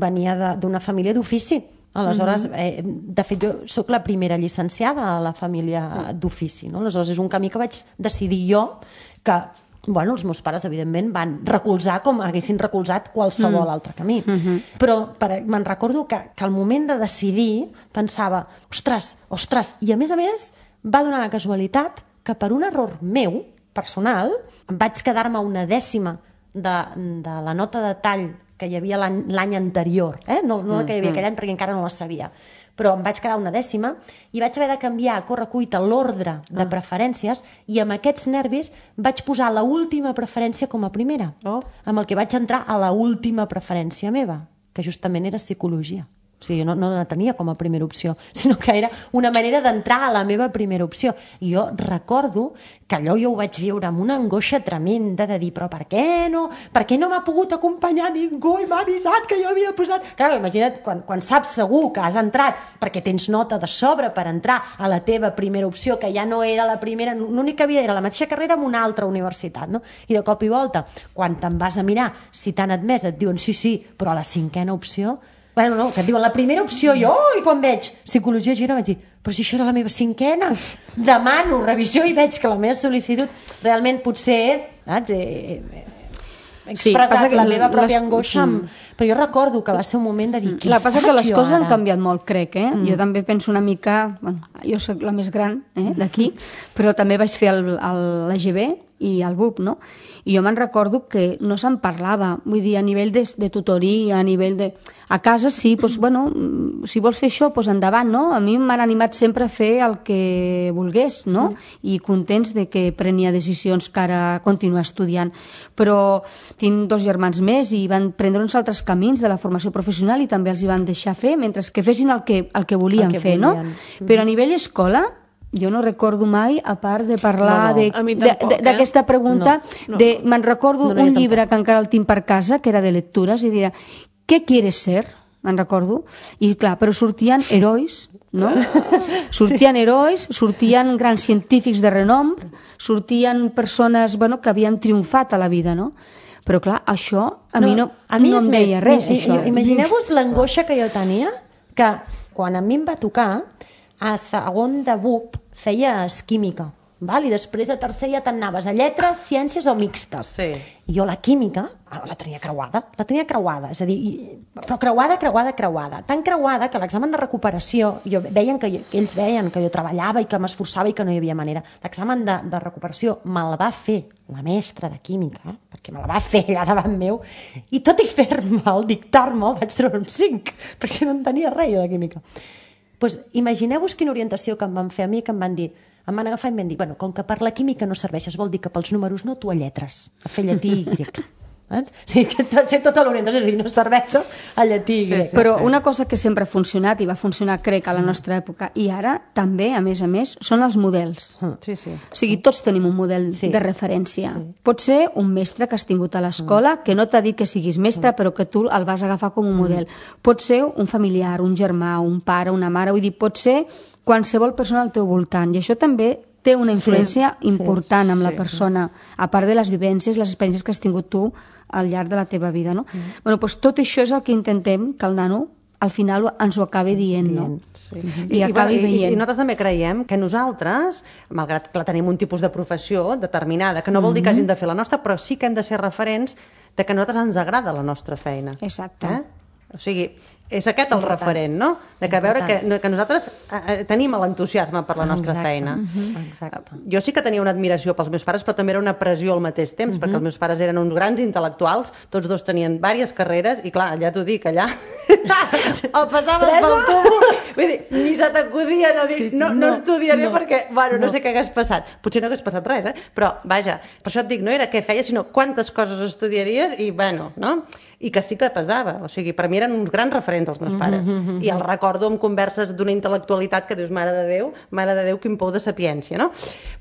venia d'una família d'ofici. Aleshores, eh, de fet, jo sóc la primera llicenciada a la família d'ofici, no? Aleshores, és un camí que vaig decidir jo que... Bueno, els meus pares, evidentment, van recolzar com haguessin recolzat qualsevol mm. altre camí. Mm-hmm. Però per, me'n recordo que, que al moment de decidir pensava, ostres, ostres, i a més a més va donar la casualitat que per un error meu, personal, em vaig quedar-me una dècima de, de la nota de tall que hi havia l'any anterior, eh? no, no la que hi havia aquell any perquè encara no la sabia, però em vaig quedar una dècima i vaig haver de canviar a correcuita l'ordre de ah. preferències i amb aquests nervis vaig posar la última preferència com a primera, oh. amb el que vaig entrar a la última preferència meva, que justament era psicologia. O sigui, jo no, no la tenia com a primera opció, sinó que era una manera d'entrar a la meva primera opció. I jo recordo que allò jo ho vaig viure amb una angoixa tremenda de dir, però per què no? Per què no m'ha pogut acompanyar ningú i m'ha avisat que jo havia posat... Clar, imagina't, quan, quan saps segur que has entrat perquè tens nota de sobre per entrar a la teva primera opció, que ja no era la primera, l'únic que havia era la mateixa carrera amb una altra universitat, no? I de cop i volta, quan te'n vas a mirar si t'han admès, et diuen sí, sí, però a la cinquena opció... Bueno, no, que et diuen la primera opció, jo, i quan veig psicologia gira vaig dir, però si això era la meva cinquena, demano revisió i veig que la meva sol·licitud realment potser, saps, he, he expressat sí, la meva pròpia les... angoixa, amb... però jo recordo que va ser un moment de dir, què la passa faig que les coses ara? Han canviat molt, crec, eh? Mm. Jo també penso una mica, bueno, jo soc la més gran eh, d'aquí, però també vaig fer l'A G B i el B U P, no? I jo me'n recordo que no se'n parlava, vull dir, a nivell de, de tutoria, a nivell de... A casa sí, doncs, bueno, si vols fer això, doncs endavant, no? A mi m'han animat sempre a fer el que volgués, no? I contents de que prenia decisions que ara continuar estudiant. Però tinc dos germans més i van prendre uns altres camins de la formació professional i també els hi van deixar fer, mentre que fessin el que, el que volien el que fer, volien. No? Però a nivell escola... Jo no recordo mai, a part de parlar no, no. d'aquesta eh? pregunta, no, no, me'n recordo no, no, un llibre tampoc. Que encara el tinc per casa, que era de lectures, i diria, què quieres ser? me'n recordo, i clar, però sortien herois, no? Sortien herois, sortien grans científics de renom, sortien persones, bueno, que havien triomfat a la vida, no? Però clar, això a mi no, a mi no em veia res, això. Imagineu-vos l'angoixa que jo tenia, que quan a mi em va tocar, a segon de B U P feies química, val? I després a tercer ja t'anaves a lletres, ciències o mixtes. Sí. I jo la química la tenia creuada, la tenia creuada, és a dir, i, però creuada, creuada, creuada. Tan creuada que l'examen de recuperació, jo veien que, que ells veien que jo treballava i que m'esforçava i que no hi havia manera. L'examen de, de recuperació me'l va fer la mestra de química, eh? Perquè me la va fer allà davant meu, i tot i fer-me'l, dictar-me'l, vaig treure un cinc, perquè no en tenia res de química. Pues, imagineu-vos quina orientació que em van fer a mi, que em van dir, em van agafar i em van dir, bueno, com que per la química no serveixes, vol dir que pels números no, tu a lletres, a fer llatí i grec. O sigui, que sé tota l'orientació, és a dir, no serveixes a llatí i grec. Sí, sí, però sí. Una cosa que sempre ha funcionat, i va funcionar, crec, a la nostra època, i ara també, a més a més, són els models. Sí, sí. O sigui, tots tenim un model sí. de referència. Sí. Pot ser un mestre que has tingut a l'escola, que no t'ha dit que siguis mestre, però que tu el vas agafar com un model. Pot ser un familiar, un germà, un pare, una mare, vull dir, pot ser qualsevol persona al teu voltant, i això també té una influència sí, important sí, amb la sí, persona, a part de les vivències, les experiències que has tingut tu al llarg de la teva vida, no? Mm. Bueno, doncs tot això és el que intentem que el nano al final ens ho acabi dient, no? Sí. I, I acabi bueno, veient. I, I nosaltres també creiem que nosaltres, malgrat que tenim un tipus de professió determinada, que no vol dir que hàgim de fer la nostra, però sí que hem de ser referents de que a nosaltres ens agrada la nostra feina. Exacte. Eh? O sigui, és aquest el referent, no? De que veure que, que nosaltres eh, tenim l'entusiasme per la nostra Exacte. feina. Uh-huh. Exacte. Jo sí que tenia una admiració pels meus pares, però també era una pressió al mateix temps, uh-huh. perquè els meus pares eren uns grans intel·lectuals, tots dos tenien diverses carreres, i clar, ja t'ho dic, allà el passaves pel tubo, vull dir, ni se t'acudia no dir, sí, sí, no, no, no estudiaré no, perquè, bueno, no. no sé què hagués passat. Potser no hagués passat res, eh? Però, vaja, per això et dic, no era què feies, sinó quantes coses estudiaries, i, bueno, no? I que sí que pesava, o sigui, per mi eren uns grans referents els meus pares, mm-hmm. i el recordo amb converses d'una intel·lectualitat que dius, mare de Déu, mare de Déu, quin pou de sapiència, no?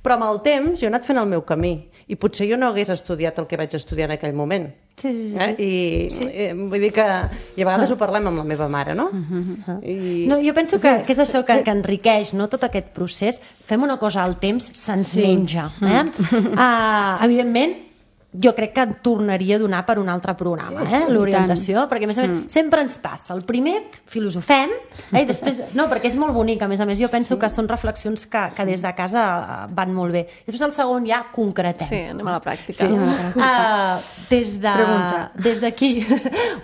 Però amb el temps jo he anat fent el meu camí, i potser jo no hagués estudiat el que vaig estudiar en aquell moment. Sí, sí, sí. Eh? I sí. eh, vull dir que, i a vegades ho parlem amb la meva mare, no? Uh-huh. I... No, jo penso que, que és això que, que enriqueix, no?, tot aquest procés. Fem una cosa al temps, se'ns sí. menja. Eh? Uh, evidentment, jo crec que et tornaria a donar per un altre programa, eh? L'orientació, perquè a més a més mm. sempre ens passa. El primer, filosofem, eh? I després, no, perquè és molt bonic, a més a més, jo penso sí. que són reflexions que, que des de casa van molt bé. I després el segon ja concretem. Sí, anem a la pràctica. Sí. Uh, des de, des d'aquí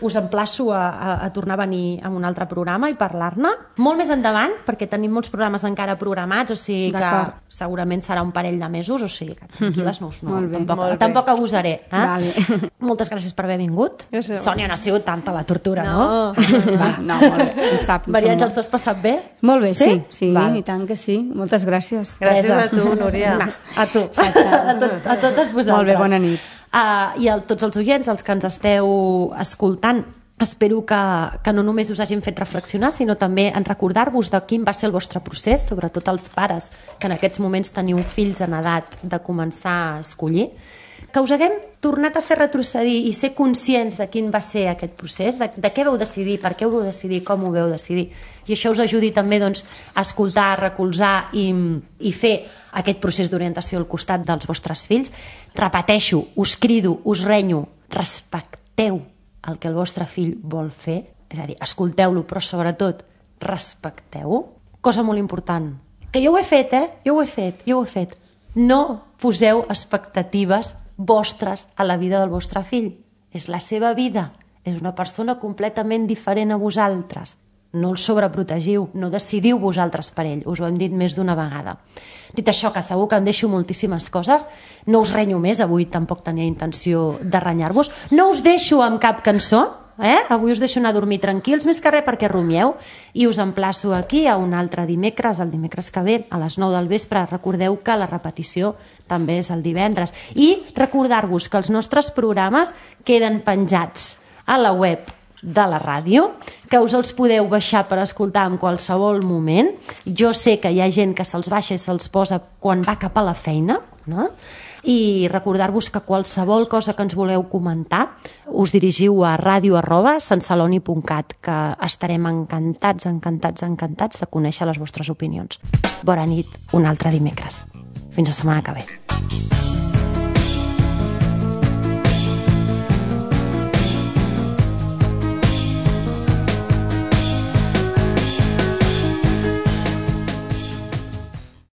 us emplaço a, a, a tornar a venir a un altre programa i parlar-ne. Molt més endavant, perquè tenim molts programes encara programats, o sigui que segurament serà un parell de mesos, o sigui que tranquil·les no, no, molt bé, tampoc, molt tampoc abusaré. Eh? Vale. Moltes gràcies per haver vingut. Gràcies. Sònia, no ha sigut tanta la tortura, no? No, Va, no molt bé. Em sap, em Maria sap Àngels, t'has passat bé? Molt bé, sí, sí, Val. i tant que sí. Moltes gràcies. Gràcies a tu, Núria. Va, a tu. A, tot, a totes vosaltres. Molt bé, bona nit. Uh, I a tots els oients, els que ens esteu escoltant, espero que, que no només us hagin fet reflexionar, sinó també en recordar-vos de quin va ser el vostre procés, sobretot els pares que en aquests moments teniu fills en edat de començar a escollir, que us haguem tornat a fer retrocedir i ser conscients de quin va ser aquest procés, de, de què vau decidir, per què ho vau decidir, com ho vau decidir. I això us ajudi també doncs, a escoltar, a recolzar i, i fer aquest procés d'orientació al costat dels vostres fills. Repeteixo, us crido, us renyo, respecteu el que el vostre fill vol fer, és a dir, escolteu-lo, però sobretot respecteu-ho. Cosa molt important, que jo ho he fet, eh? Jo ho he fet, jo ho he fet. No poseu expectatives vostres a la vida del vostre fill. És la seva vida. És una persona completament diferent a vosaltres. No el sobreprotegiu, no decidiu vosaltres per ell. Us ho hem dit més d'una vegada. Dit això, que segur que em deixo moltíssimes coses, no us renyo més, avui tampoc tenia intenció de renyar-vos. No us deixo amb cap cançó, eh? Avui us deixo anar a dormir tranquils, més que res perquè rumieu, i us emplaço aquí a un altre dimecres, el dimecres que ve, a les nou del vespre. Recordeu que la repetició també és el divendres. I recordar-vos que els nostres programes queden penjats a la web de la ràdio, que us els podeu baixar per escoltar en qualsevol moment. Jo sé que hi ha gent que se'ls baixa i se'ls posa quan va cap a la feina, no? i recordar-vos que qualsevol cosa que ens voleu comentar us dirigiu a ràdio arroba santceloni punt cat, que estarem encantats, encantats, encantats de conèixer les vostres opinions. Bona nit, un altre dimecres. Fins la setmana que ve.